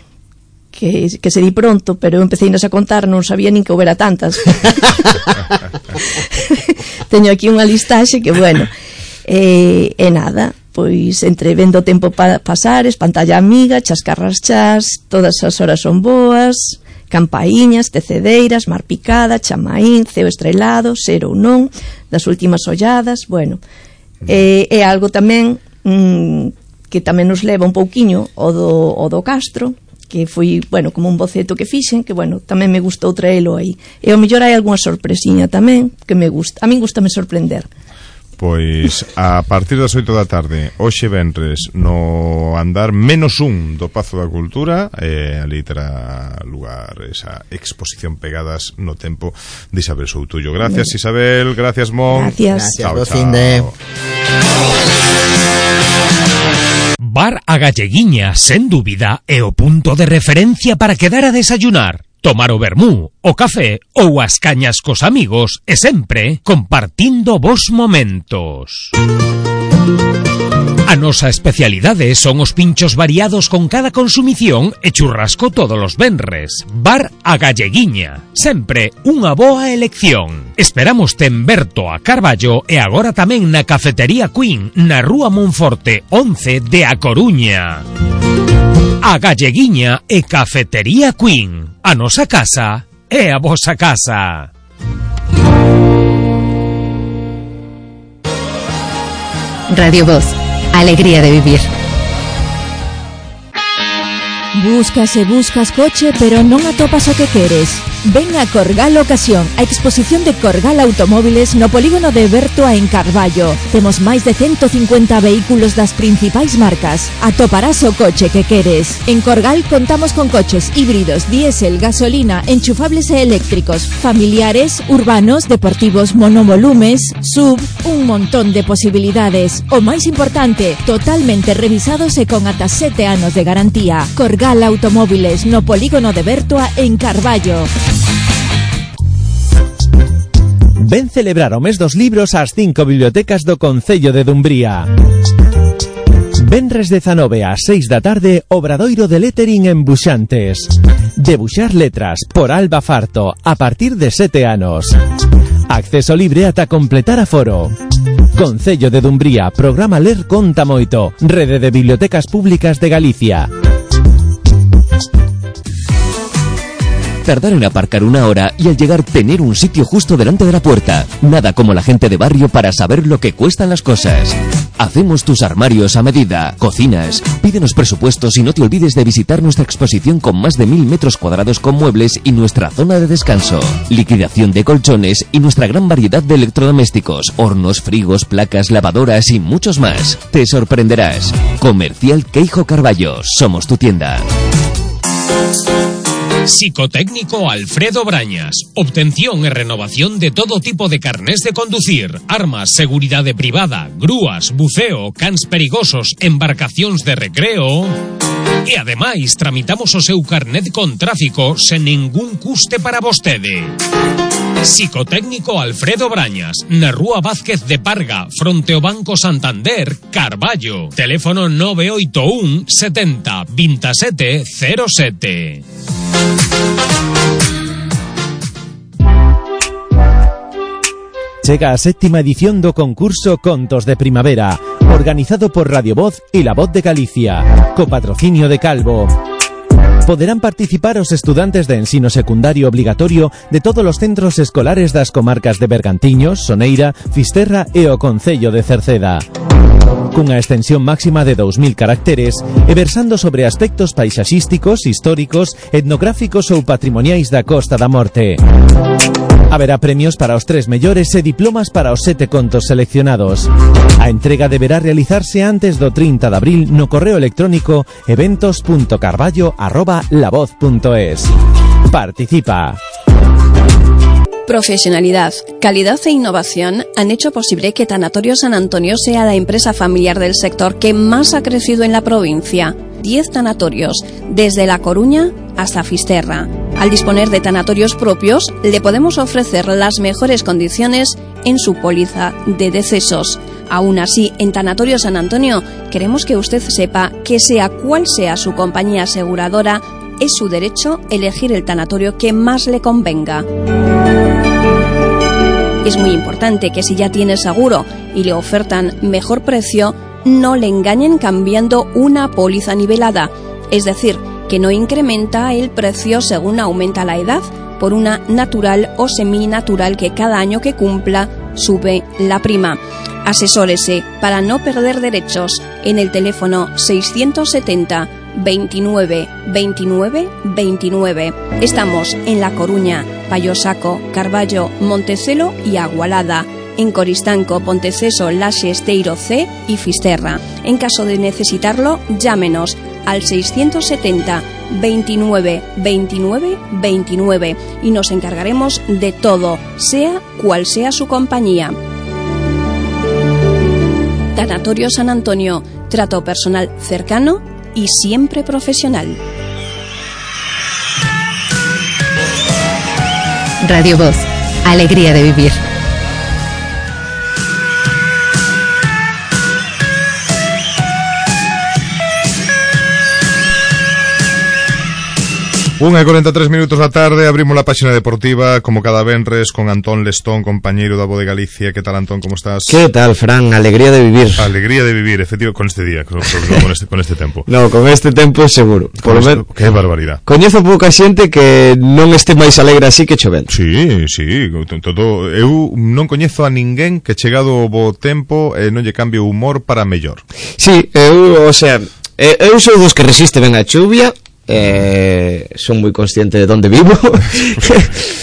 que, que se di pronto, pero eu empecé a contar, non sabía nin que houbera tantas. Teño aquí unha listaxe que, bueno, e, e nada, pois entre Vendo o Tempo pa, Pasares, Pantalla Amiga, Chascarras Chas, Todas as Horas Son Boas, Campaíñas, Tecedeiras, Mar Picada, Chamaín, Ceo Estrelado, Ser ou Non, Das Últimas Olladas, bueno, é, é algo tamén mm, que tamén nos leva un pouquiño o do, o do Castro, que foi, bueno, como un boceto que fixen, que, bueno, tamén me gustou traelo aí. E ao mellor hai algunha sorpresiña tamén, que me gusta. A min gustame sorprender. Pois a partir das oito da tarde, hoxe venres, no andar menos un do Pazo da Cultura, eh, ali terá lugar esa exposición Pegadas no Tempo de Isabel Soutullo. Gracias, bueno. Isabel, gracias, Mon. Gracias. Chao, chao. De... Bar a Galleguiña, sen dúbida, é o punto de referencia para quedar a desayunar, tomar o vermú, o café ou as cañas cos amigos e sempre compartindo vos momentos. A nosa especialidade son os pinchos variados con cada consumición e churrasco todos os venres. Bar a Galleguiña, sempre unha boa elección. Esperamos en Berto a Carballo e agora tamén na Cafetería Queen, na Rúa Monforte once de A Coruña. A Galleguiña e Cafetería Queen. A nosa casa é a vosa casa. Radio Voz, alegría de vivir. Buscas e buscas coche, pero non atopas o que queres. Ven a Corgal Ocasión, a exposición de Corgal Automóviles no polígono de Bertoa en Carballo. Temos máis de ciento cincuenta vehículos das principais marcas. Atoparás o coche que queres. En Corgal contamos con coches híbridos, diésel, gasolina, enchufables e eléctricos, familiares, urbanos, deportivos, monovolumes, sub, un montón de posibilidades. O máis importante, totalmente revisados e con ata sete anos de garantía. Corgal Automóviles no polígono de Bertoa en Carballo. Ven celebrar o mes dos libros ás cinco bibliotecas do Concello de Dumbría. Venres dezanove ás seis da tarde, obradoiro de lettering en Buxantes. Debuxar letras por Alba Farto a partir de sete anos. Acceso libre ata completar aforo. Concello de Dumbría, programa Ler Conta Moito, Rede de Bibliotecas Públicas de Galicia. Tardar en aparcar una hora y al llegar tener un sitio justo delante de la puerta. Nada como la gente de barrio para saber lo que cuestan las cosas. Hacemos tus armarios a medida, cocinas. Pídenos presupuestos y no te olvides de visitar nuestra exposición con más de mil metros cuadrados con muebles y nuestra zona de descanso. Liquidación de colchones y nuestra gran variedad de electrodomésticos, hornos, frigos, placas, lavadoras y muchos más. Te sorprenderás. Comercial Queijo Carballo. Somos tu tienda. Psicotécnico Alfredo Brañas. Obtención e renovación de todo tipo de carnés de conducir, armas, seguridade privada, grúas, buceo, cans perigosos, embarcacións de recreo. E ademais tramitamos o seu carnet con tráfico sen ningún custe para vostede. Psicotécnico Alfredo Brañas, na Rúa Vázquez de Parga, fronte ao Banco Santander, Carballo. Teléfono nove oito un setenta veintisiete cero sete. Chega a séptima edición do concurso Contos de Primavera, organizado por Radio Voz e La Voz de Galicia, co patrocinio de Calvo. Poderán participar os estudantes de ensino secundario obligatorio de todos os centros escolares das comarcas de Bergantiños, Soneira, Fisterra e o Concello de Cerceda. Cunha extensión máxima de dous mil caracteres e versando sobre aspectos paisaxísticos, históricos, etnográficos ou patrimoniais da Costa da Morte. Haberá premios para os tres mellores e diplomas para os sete contos seleccionados. A entrega deberá realizarse antes do trinta de abril no correo electrónico eventos punto carballo arroba lavoz punto es. Participa. Profesionalidad, calidad e innovación han hecho posible que Tanatorio San Antonio sea la empresa familiar del sector que más ha crecido en la provincia. diez tanatorios, desde La Coruña hasta Fisterra. Al disponer de tanatorios propios, le podemos ofrecer las mejores condiciones en su póliza de decesos. Aún así, en Tanatorio San Antonio, queremos que usted sepa que sea cual sea su compañía aseguradora, es su derecho elegir el tanatorio que más le convenga. Es muy importante que si ya tiene seguro y le ofertan mejor precio, no le engañen cambiando una póliza nivelada, es decir, que no incrementa el precio según aumenta la edad por una natural o seminatural que cada año que cumpla sube la prima. Asesórese para no perder derechos en el teléfono seiscientos setenta veintinueve veintinueve veintinueve. Estamos en La Coruña, Payosaco, Carballo, Montecelo y Agualada. En Coristanco, Ponteceso, Laxe, Esteiro C y Fisterra. En caso de necesitarlo, llámenos al seiscientos setenta veintinueve veintinueve veintinueve y nos encargaremos de todo, sea cual sea su compañía. Tanatorio San Antonio, trato personal cercano y siempre profesional. Radio Voz, alegría de vivir. Unha e cuarenta e tres minutos da tarde, abrimos la páxina deportiva como cada venres con Antón Lestón, compañeiro da Voz de Galicia. Que tal, Antón, como estás? Que tal, Fran? Alegría de vivir. Alegría de vivir, efectivo, con este día, con, con, este, con este tempo. No, con este tempo seguro. Por este, ver... Que barbaridade. Coñezo pouca xente que non este máis alegre así que chovendo. Sí, sí, todo. Eu non coñezo a ninguén que chegado o bo tempo e non lle cambie o humor para mellor. Sí, eu, o sea, eu sou dos que resiste ben a chuvia, eh, son moi consciente de onde vivo.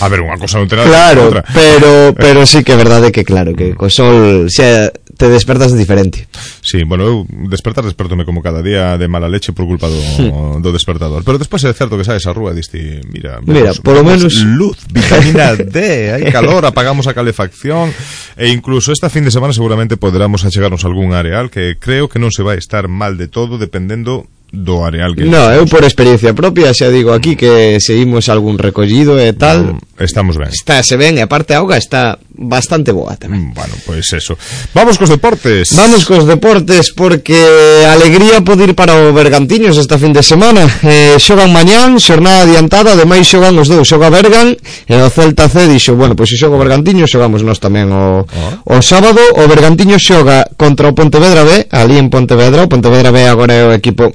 A ver, unha cosa non terá claro, outra. pero pero sí que é verdade que claro, que co sol xa te despertas diferente. Sí, bueno, eu despertar despertome como cada día de mala leche por culpa do, hmm. do despertador. Pero despois é certo que sabes a rúa e diste, mira, mira, por lo menos luz, vitamina D, hai calor, apagamos a calefacción e incluso esta fin de semana seguramente poderamos achegarnos a algún areal que creo que non se vai estar mal de todo dependendo do areal que... No, eu por experiencia propia xa digo aquí que seguimos algún recollido e tal. No, estamos ben. Está, se ven, e aparte a auga está bastante boa tamén. Bueno, pois pues eso. Vamos cos deportes. Vamos cos deportes porque alegría pode ir para o Bergantiños esta fin de semana. Eh, xogan mañán, xornada adiantada, ademais xogan os dous, xoga Bergan e o Celta C dixo, bueno, pois pues se xoga o Bergantiños xogamos nós tamén o, oh. o sábado. O Bergantiños xoga contra o Pontevedra B, ali en Pontevedra. O Pontevedra B agora é o equipo,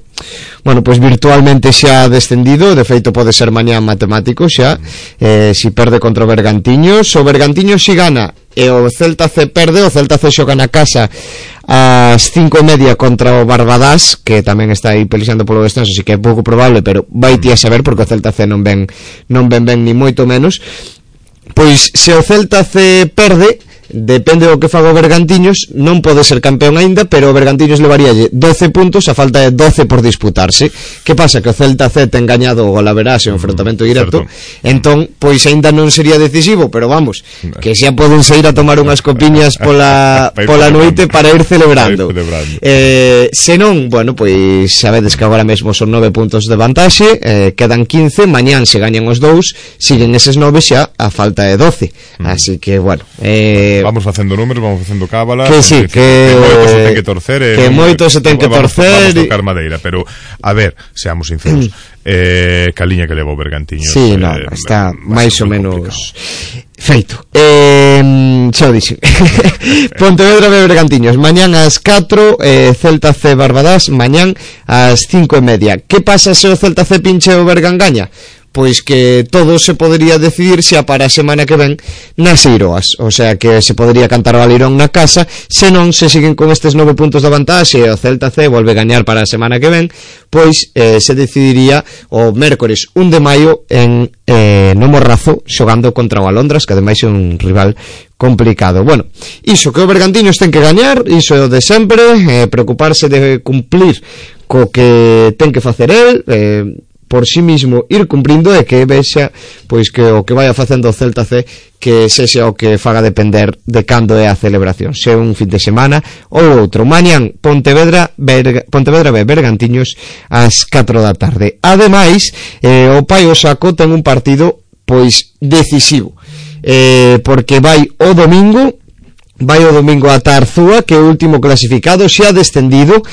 bueno, pois pues virtualmente xa descendido, de feito pode ser mañán matemático xa, eh, si perde contra o Bergantiños. O Bergantiños si gana e o Celta C perde, o Celta C xoga na casa ás cinco e media contra o Barbadás, que tamén está aí pelexando polo descenso, así que é pouco probable, pero vai ti a saber porque o Celta C non ven non ven ben ni moito menos. Pois se o Celta C perde, depende do que faga o Bergantiños, non pode ser campeón aínda, pero o Bergantiños levaríalle doce puntos, a falta de doce por disputarse. Que pasa? Que o Celta C ten gañado o Golaverás en enfrontamento directo, certo. Entón, pois aínda non sería decisivo, pero vamos, que xa poden sair a tomar unhas copiñas pola, pola noite para ir celebrando. Eh, se non, bueno, pois sabedes que agora mesmo son nove puntos de vantaxe, eh, quedan quince, mañán se gañan os dous, siguen eses nove xa a falta de doce. Mm. Así que, bueno, eh, vamos facendo números, vamos facendo cábalas, que sí, que, que moito se ten que torcer, eh, que moito se ten que torcer, vamos tocar madeira, pero a ver, seamos sinceros, eh, caliña que leva o Bergantiños. Sí, eh, no, está máis ou menos feito. Eh, xa o dixen. Pontevedra B Bergantiños, mañán ás catro, eh, Celta C Barbadás, mañán ás cinco e media. Que pasa se o Celta C pinche o Bergan gaña? Pois que todo se podería decidir xa para a semana que ven nas Eiroas, o sea que se podería cantar o Alirón na casa, se non se siguen con estes nove puntos de vantaxe e o Celta C volve gañar para a semana que ven, pois eh, se decidiría o mércores un de maio en eh, no Morrazo xogando contra o Alondras, que ademais é un rival complicado. Bueno, iso que o Bergantiños ten que gañar, iso é o de sempre, eh, preocuparse de cumplir co que ten que facer el, eh, por sí mismo ir cumprindo e que vexa pois que o que vai facendo o Celta C que sexa o que faga depender de cando é a celebración, se un fin de semana ou outro. Mañán Pontevedra Berga, Pontevedra B Bergantiños ás catro da tarde. Ademais, eh, o Pai Osaco ten un partido pois decisivo, eh, porque vai o domingo vai o domingo a Arzúa, que é o último clasificado, xa descendido,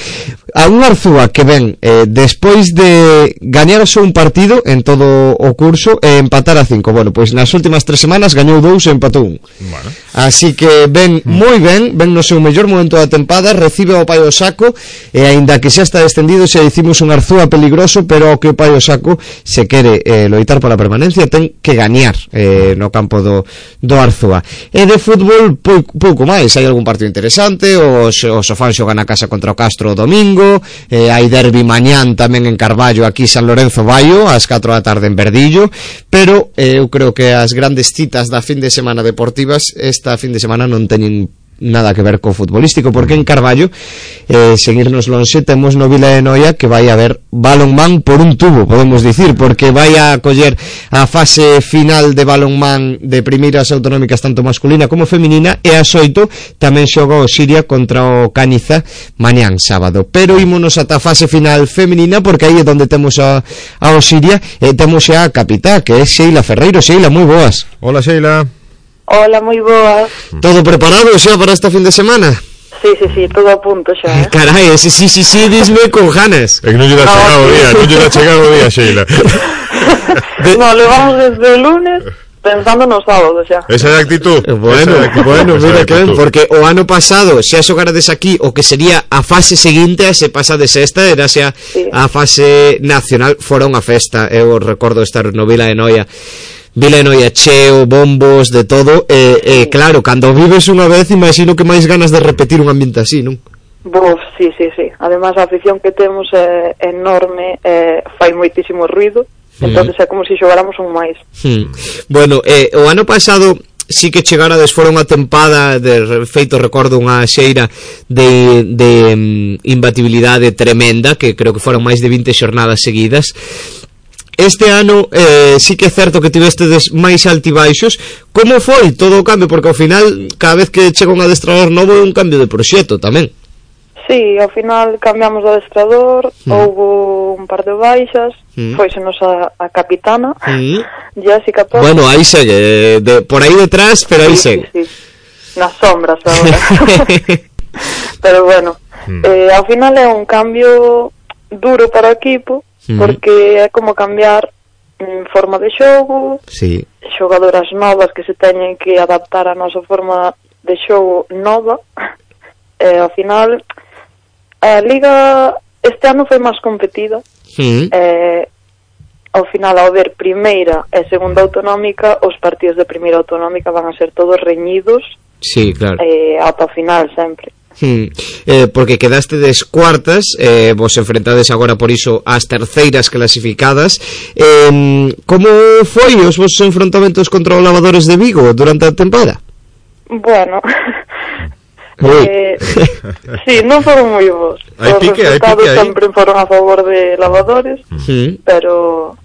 a un Arzúa que ven eh, despois de gañar só un partido en todo o curso e empatar a cinco. Bueno, pois nas últimas tres semanas gañou dous e empatou un. Bueno. Así que ven mm. moi ben, ven no seu mellor momento da tempada, recibe o Pai Osaco e aínda que xa está descendido, xa dicimos un Arzúa peligroso, pero o que o Pai Osaco se quere eh, loitar pola permanencia ten que gañar eh, no campo do, do Arzúa. E de fútbol pouco, pouco máis, hai algún partido interesante, o, o Sofán xoga na casa contra o Castro o domingo, eh, hai derbi mañán tamén en Carballo, aquí San Lorenzo Baio ás catro da tarde en Verdillo, pero eh, eu creo que as grandes citas da fin de semana deportivas esta fin de semana non teñen nada que ver co futbolístico, porque en Carballo eh, seguirnos lonxe temos no Vila de Noia que vai a haber balonmán por un tubo, podemos dicir, porque vai a coller a fase final de balonmán de primeiras autonómicas tanto masculina como feminina, e a oito tamén xoga o Siria contra o Caniza mañán sábado, pero ímonos ata a fase final feminina porque aí é onde temos a, a o Siria e temos xa a capitá, que é Sheila Ferreiro. Sheila, moi boas. Hola, Sheila. Hola, moi boas. Todo preparado xa para esta fin de semana? Sí, sí, sí, todo a punto xa, eh? Carai, ese sí, sí, sí, disme con ganas. É que non lle dá no, chegado o día, non lle dá chegado o día, Sheila. De... No, levamos desde o lunes pensando no sábado xa. Esa é a actitud. Bueno, actitud. bueno, mira que ben, porque o ano pasado xa xogarades aquí o que sería a fase seguinte a se pasades esta, era xa sí. a fase nacional, fora unha festa, eu recordo estar no Vila de Noia. Vila de Noia cheo, bombos, de todo, e, e claro, cando vives unha vez imagino que máis ganas de repetir un ambiente así, non? Buf, sí, sí, sí. Además, a afición que temos é enorme, é, fai moitísimo ruido, entonces é como se xogáramos un máis. Hmm. Bueno, eh, o ano pasado sí que chegarades fora unha tempada de feito, recordo unha xeira de, de um, imbatibilidade tremenda, que creo que foron máis de vinte xornadas seguidas. Este ano eh, sí que é certo que tivestedes máis altibaixos. Como foi todo o cambio? Porque ao final, cada vez que chega un adestrador novo é un cambio de proxecto tamén. Sí, ao final cambiamos de adestrador, mm. houve un par de baixas, mm. foisenos a, a capitana, mm. Jessica Pérez. Bueno, aí segue, de, por aí detrás, pero aí sí, segue. Sí, sí. Nas sombras agora. Pero bueno, mm. eh, ao final é un cambio duro para o equipo, mm. porque é como cambiar en forma de xogo, sí. xogadoras novas que se teñen que adaptar á nosa forma de xogo nova, e ao final a Liga este ano foi máis competida, sí. eh, ao final ao ver primeira e segunda autonómica, os partidos de primeira autonómica van a ser todos reñidos, sí, claro. eh, ata o final sempre. Hmm. Eh, porque quedastedes cuartas, eh, vos enfrentades agora por iso ás terceiras clasificadas. Eh, como foi os vosos enfrontamentos contra os Lavadores de Vigo durante a temporada? Bueno, eh, sí, non foron moi bons. Os pique, resultados sempre foron a favor de Lavadores, sí. Pero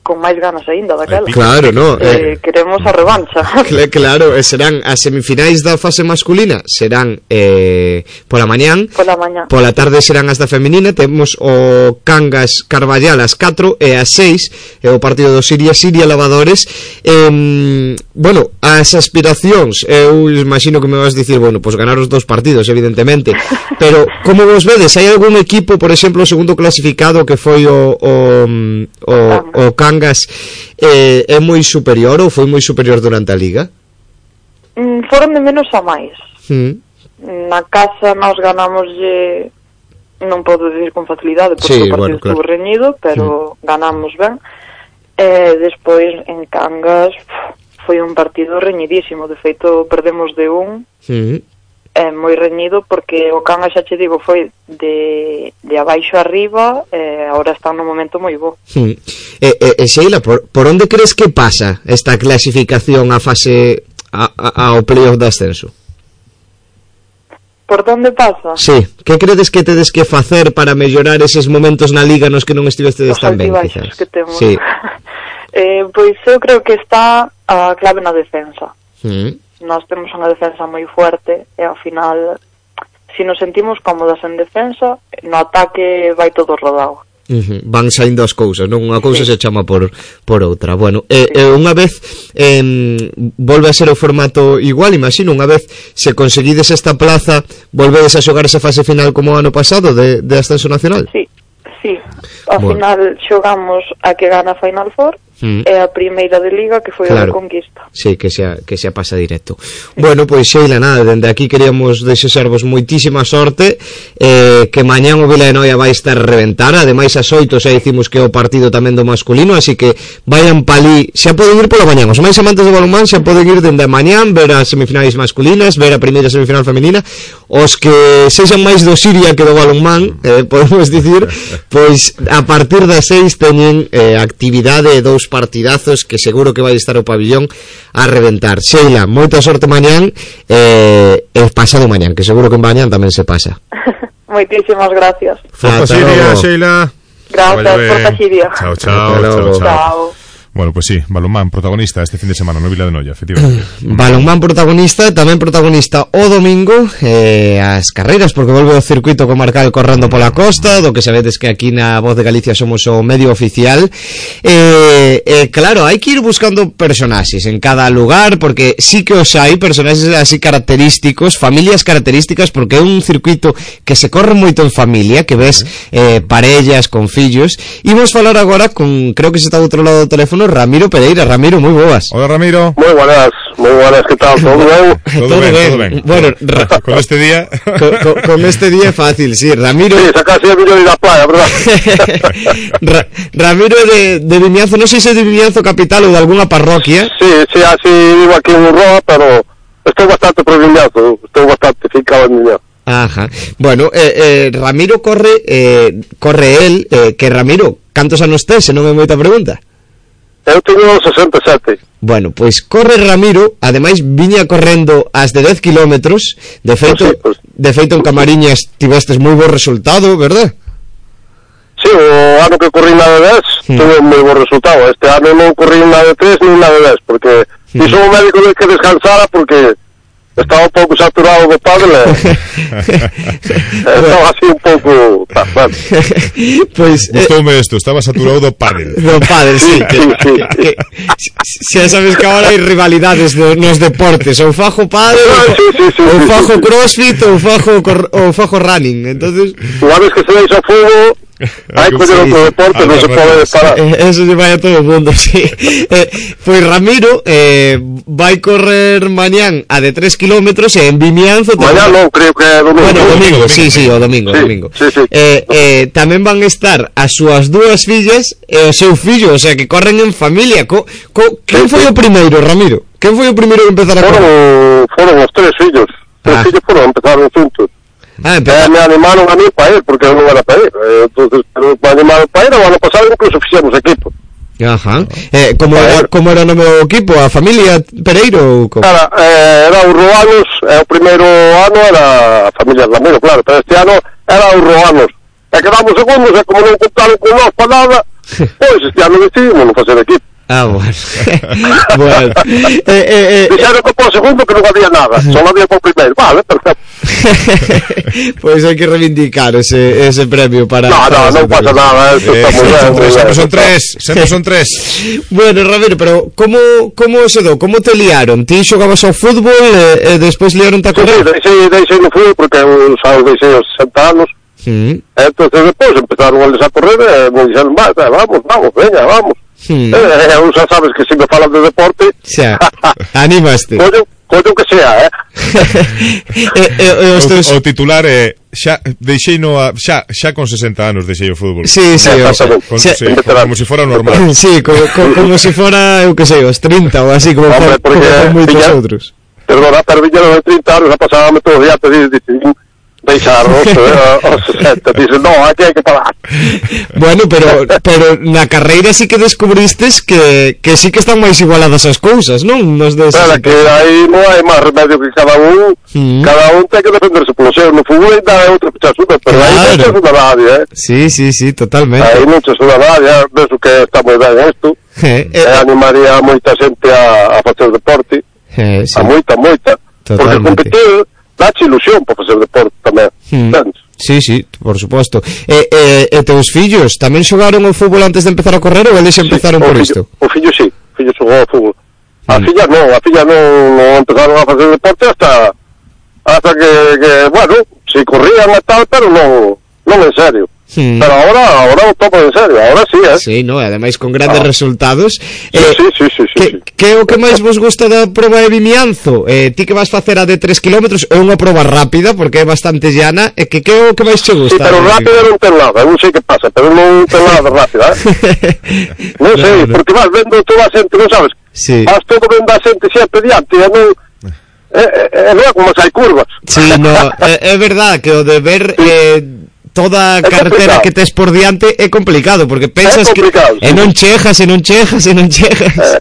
con máis ganas aínda daquela. Claro, no. Eh, eh, queremos a revancha. Claro, serán as semifinais da fase masculina, serán eh, pola mañán. Pola mañán. Pola tarde serán as da feminina, temos o Cangas Carballal ás catro e ás seis, e o partido do Siria Siria Lavadores. Eh, bueno, as aspiracións, eu imagino que me vas dicir, bueno, pois pues ganar os dous partidos, evidentemente. Pero como vos vedes, hai algún equipo, por exemplo, o segundo clasificado que foi o o, o, o Cangas eh, é moi superior ou foi moi superior durante a Liga? Mm, foron de menos a máis. Mm. Na casa nos ganamos eh, non podo dicir con facilidade porque sí, o partido bueno, claro. estuvo reñido, pero mm. ganamos ben. E despois en Cangas foi un partido reñidísimo, de feito perdemos de un. Mm. É moi reñido porque o Cangas, xa che digo, foi de, de abaixo arriba e agora está no momento moi bo. Sí. E, e, e Sheila, por, por onde crees que pasa esta clasificación a fase a, a, ao playoff de ascenso? Por onde pasa? Sí, que credes que tedes que facer para mellorar eses momentos na Liga nos que non estivestedes tan ben, quizás? Que temos. Sí. eh, pois eu creo que está a clave na defensa. Sí. Nós temos unha defensa moi fuerte e ao final, se nos sentimos cómodas en defensa, no ataque vai todo rodado. Uh-huh. Van saindo as cousas, non? Unha cousa sí. se chama por, por outra. Bueno, sí. eh, unha vez eh, volve a ser o formato igual, imagino, unha vez se conseguides esta plaza, volvedes a xogar esa fase final como o ano pasado de, de ascenso nacional? Sí, sí. Ao bueno. final xogamos a que gana Final Four. Mm. É a primeira de Liga que foi claro. a Conquista. Sí, que xa, que xa pasa directo. Sí. Bueno, pois Sheila, nada, dende aquí queríamos desexarvos moitísima sorte, eh, que mañán o Vila de Noia vai estar reventar, ademais as oito xa dicimos que é o partido tamén do masculino, así que vayan palí, xa poden ir pola mañán, os máis amantes do balonmán xa poden ir dende a mañán, ver as semifinais masculinas, ver a primeira semifinal femenina, os que sexan máis do Siria que do balonmán, eh, podemos dicir, pois a partir das seis teñen eh, actividade e dous partidazos que seguro que vai estar o pabillón a reventar. Sheila, moita sorte mañán e eh, pasado mañán, que seguro que en mañán tamén se pasa. Moitísimas gracias. Forza Siria, Sheila. Gracias, Forza Siria. Chao, chao, chao, chao. Chao. Bueno, pues sí, balonmán protagonista este fin de semana no Vila de Noia, efectivamente. Balonmán protagonista, tamén protagonista o domingo, eh, as carreiras, porque volve o circuito comarcal correndo pola costa, do que sabedes que aquí na Voz de Galicia somos o medio oficial. Eh, eh, claro, hai que ir buscando personaxes en cada lugar, porque sí que os hai, personaxes así característicos, familias características, porque é un circuito que se corre moito en familia, que ves eh, parellas con fillos. Imos falar agora con, creo que se está do outro lado do teléfono, Ramiro Pereira. Ramiro, moi boas. Hola, Ramiro. Moi buenas, moi buenas, que tal? Todo ben? Todo, todo ben, ben, todo ben. Bueno, ra- con este día con, con, con este día é fácil, sí, Ramiro. Sí, sacase a Vino de la playa, verdad? Ra- Ramiro de, de Vimianzo, non sei se de Vimianzo capital ou de alguna parroquia. Sí, sí, así vivo aquí en Urroa, pero estou bastante por Vimianzo, estou bastante ficado en Vimianzo. Ah, Ajá. Bueno, eh, eh, Ramiro corre, eh, corre el, eh, que Ramiro, cantos anos tes, se non é moita pregunta? Eu teño sesenta e sete. Bueno, pois corre Ramiro, ademais viña correndo as de dez kilómetros, de feito, pues sí, pues... de feito en Camariñas tivestes moi bo resultado, verdad? Sí, o ano que corrí na de dez hmm. tuve moi bo resultado. Este ano non corrí na de tres ni na de dez, porque hmm. dixo o médico de que descansara porque estaba un pouco saturado do pádel. Estaba así un pouco... Ah, bueno. Pois, gustoume isto, estaba saturado do pádel. Do pádel, sí. sí, sí, sí. Xa sabes que agora hai rivalidades do, nos deportes, ou fajo pádel, sí, sí, sí, ou sí, fajo sí, sí. crossfit, ou fajo, ou fajo running. Entonces, unha vez que se deixa fuego... Hai que coller outro deporte, non se pode parar. Eso lle vai a todo o mundo, sí. eh, Pois Ramiro eh, vai correr mañán a de tres kilómetros e en Vimianzo mañán non, creo que é domingo. Bueno, domingo, domingo, sí, sí, o domingo, sí, domingo. Sí, sí. Eh, eh, tamén van estar as súas dúas fillas e o seu fillo, o sea, que corren en familia. Co, co, Quen foi o primeiro, Ramiro? Quen foi o primeiro que empezar a foron, correr? Foron os tres fillos. Tres ah. fillos foron, empezaron juntos. Ah, eh, me animaron a mí para ir, porque eu non era para ir. Eh, entonces, pero me animaron para ir, o ano pasado incluso fixemos equipo. Ajá. Eh, como, era, como era o nome do equipo? A familia Pereiro? Como? Era, eh, era os Roanos, eh, o primeiro ano era a familia Ramiro, claro, pero este ano era os Roanos. E quedamos segundos, e como non contaron con nós para nada, pois este ano decidimos non facer equipo. Ah, bueno. Bueno. Eh, eh, eh, Dixeron que por segundo que non había nada, só había por primeiro. Vale, perfecto. Pois pues hai que reivindicar ese, ese premio para... No, no, non pasa nada. Esto eh, está moi ben. Sempre son tres, sempre son tres. Bueno, Ramiro, pero como, como se do? Como te liaron? Ti xogabas ao fútbol e, e despois liaron a correr? Sí, deixei, deixei no fútbol porque eu xa deixei os sesenta anos. Mm. Entonces despois empezaron eles a correr e me dixeron, vamos, vamos, veña, vamos. Hmm. Eh, eu xa sabes que se me falan de deporte xa, animaste collo, collo que sea, eh? eh, eh os teus... o, o titular é xa, deixei no a, xa, xa con sesenta anos deixei o fútbol. Sí, sí, o sea, con, xa, sí, como se si fora normal. Sí, como, como, como se si fora, eu que sei, os trinta ou así como hombre, for, como moitos ya, outros. Perdona, pero viñeron de trinta anos, a pasábame todo o día te dicen deixarnos eh, aos sesenta, dicen, no, aquí hai que parar. Bueno, pero pero na carreira sí que descubristes que, que sí que están máis igualadas as cousas, non? Nos des... Pero que aí non hai máis remedio que cada un, mm. cada un ten que defenderse polo seu. No fútbol ainda é outra pichasuda, pero claro. Aí non se suda nadie, eh? Sí, sí, sí, totalmente. Aí non se suda nadie, eh? Ves o que está moi ben isto. Eh, eh, eh, animaría a moita xente a, a facer deporte, eh, sí. A moita, moita. Totalmente. Porque competir dache ilusión para facer deporte tamén, hmm. Sí, sí, por suposto. E, e, e teus fillos tamén xogaron o fútbol antes de empezar a correr ou eles empezaron sí, por fillo, isto? O fillo sí, o fillo xogou ao fútbol. A hmm. filla non, a filla non, non empezaron a facer deporte hasta hasta que, que bueno, si corrían e tal, pero non, non en serio. Hmm. Pero ahora, ahora o topo en serio, ahora sí, eh? Sí, no, ademais con grandes ah. resultados. Sí, eh, sí, sí, sí, sí, que, sí. Que é o que máis vos gusta da proba de Vimianzo? Eh, ti que vas facer a de tres kilómetros, é unha proba rápida porque é bastante llana, e que que é o que máis che gusta? Sí, pero rápida non ten nada, non sei que pasa, pero non ten nada rápida, eh? Non sei, no, no. Porque vas vendo toda a xente, non sabes? Sí. Vas todo vendo a xente sempre diante, e non... É, é, é como se hai curvas. Sí, no, é, é verdad que o de ver... Eh, toda a carretera que tes por diante é complicado, porque pensas que e non chejas, e non chejas, e non chejas.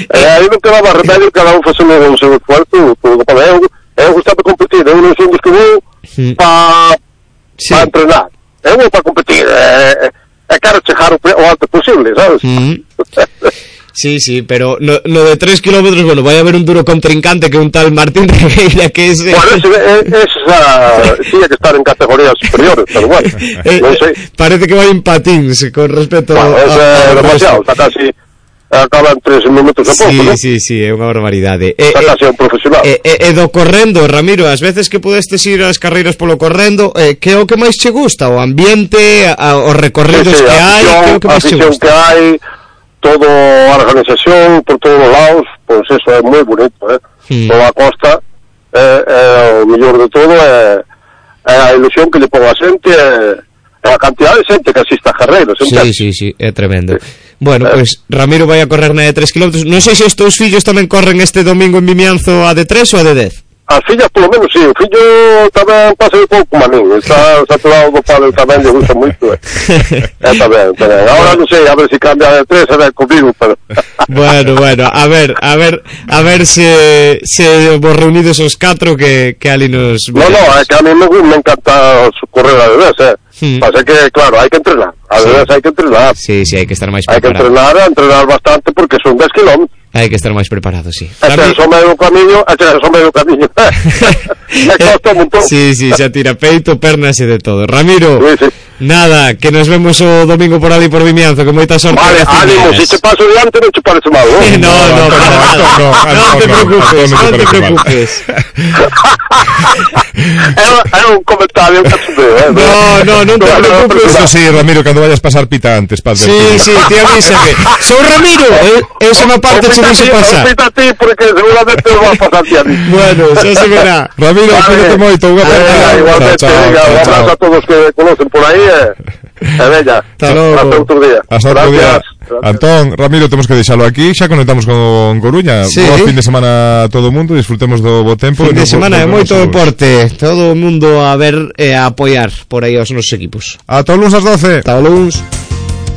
Eh, aí non te daba remedio, cada un facendo o seu esforzo, para eu, eu gustaba competir, eu non son dos que vou para sí. pa entrenar, eu vou para competir, e, e quero chegar o, o alto posible, sabes? Mm. Sí, sí, pero no, no de tres kilómetros, bueno, vai haber un duro contrincante que un tal Martín Regueira, que es... Bueno, ese, esa tiña que estar en categorías superiores, pero bueno, eh, non sei. Parece que vai en patins con respecto bueno, a... Bueno, é demasiado, está casi... acaba en tres minutos a pouco, sí, ¿no? Sí, sí, é unha barbaridade. Está eh, casi un profesional. E eh, eh, do correndo, Ramiro, as veces que pudestes ir ás carreiras polo correndo, eh, que é o que máis che gusta? O ambiente, a, os recorridos sí, sí, que hai, que é o que máis che gusta? que hai, todo a organización por todos os lados, pois pues eso é moi bonito, eh? Hmm. Toda a costa, eh, eh, o mellor de todo é, é a ilusión que lle pon a xente, é, é a cantidad de xente que asiste a carreiras. Sí, sí, sí, é tremendo. Sí. Bueno, eh. pois pues, Ramiro vai a correr na de tres kilómetros. Non sei se os teus fillos tamén corren este domingo en Vimianzo a de tres ou a de dez. As fillas, polo menos, sí. O fillo tamén pasa un pouco manín. Está saturado do palo tamén, lle gusta moito. Eh. É tamén, tamén. Ahora non sei, a ver se si cambia de tres, a ver comigo, pero... Bueno, bueno, a ver, a ver, a ver se, se vos reunidos os catro que, que ali nos... No, no, é que a mí me, me encanta correr a bebés, eh. Hmm. Pasa que, claro, hai que entrenar. A bebés sí. hai que entrenar. Sí, sí, hai que estar máis preparado. Hai que entrenar, entrenar bastante, porque son dez kilómetros. Hai que estar máis preparado, sí. E se son medio camiño, e se son medio camiño. Me costa un montón. Sí, sí, xa tira peito, pernas e de todo. Ramiro, sí, sí. Nada, que nos vemos o domingo por ali por Vimianzo, que moita sorte. Vale, ánimo, si te paso diante non te parece mal, ¿no? No, no, no, no, non te preocupes, non te preocupes. É un comentario cachondeo, eh. No, no, non te preocupes. Eso sí, Ramiro, cando vayas pasar pita antes, padre. Sí, sí, te avísame. Sou Ramiro, eu son a parte che deixo pasar. Pita a ti, porque seguramente non vas a pasar ti a mí. Bueno, xa se verá. Ramiro, cuídate moito, unha aperta. Igualmente, un abrazo a todos que conocen por aí, eh. É bella. Hasta logo. Hasta outro día. Hasta outro día. Antón, Ramiro, temos que deixalo aquí. Xa conectamos con Coruña. Sí. Bo fin de semana a todo o mundo. Disfrutemos do bo tempo. Fin de semana é moito deporte. Todo o mundo a ver e a apoiar por aí aos nosos equipos. Ata o luns ás doce. Ata o luns.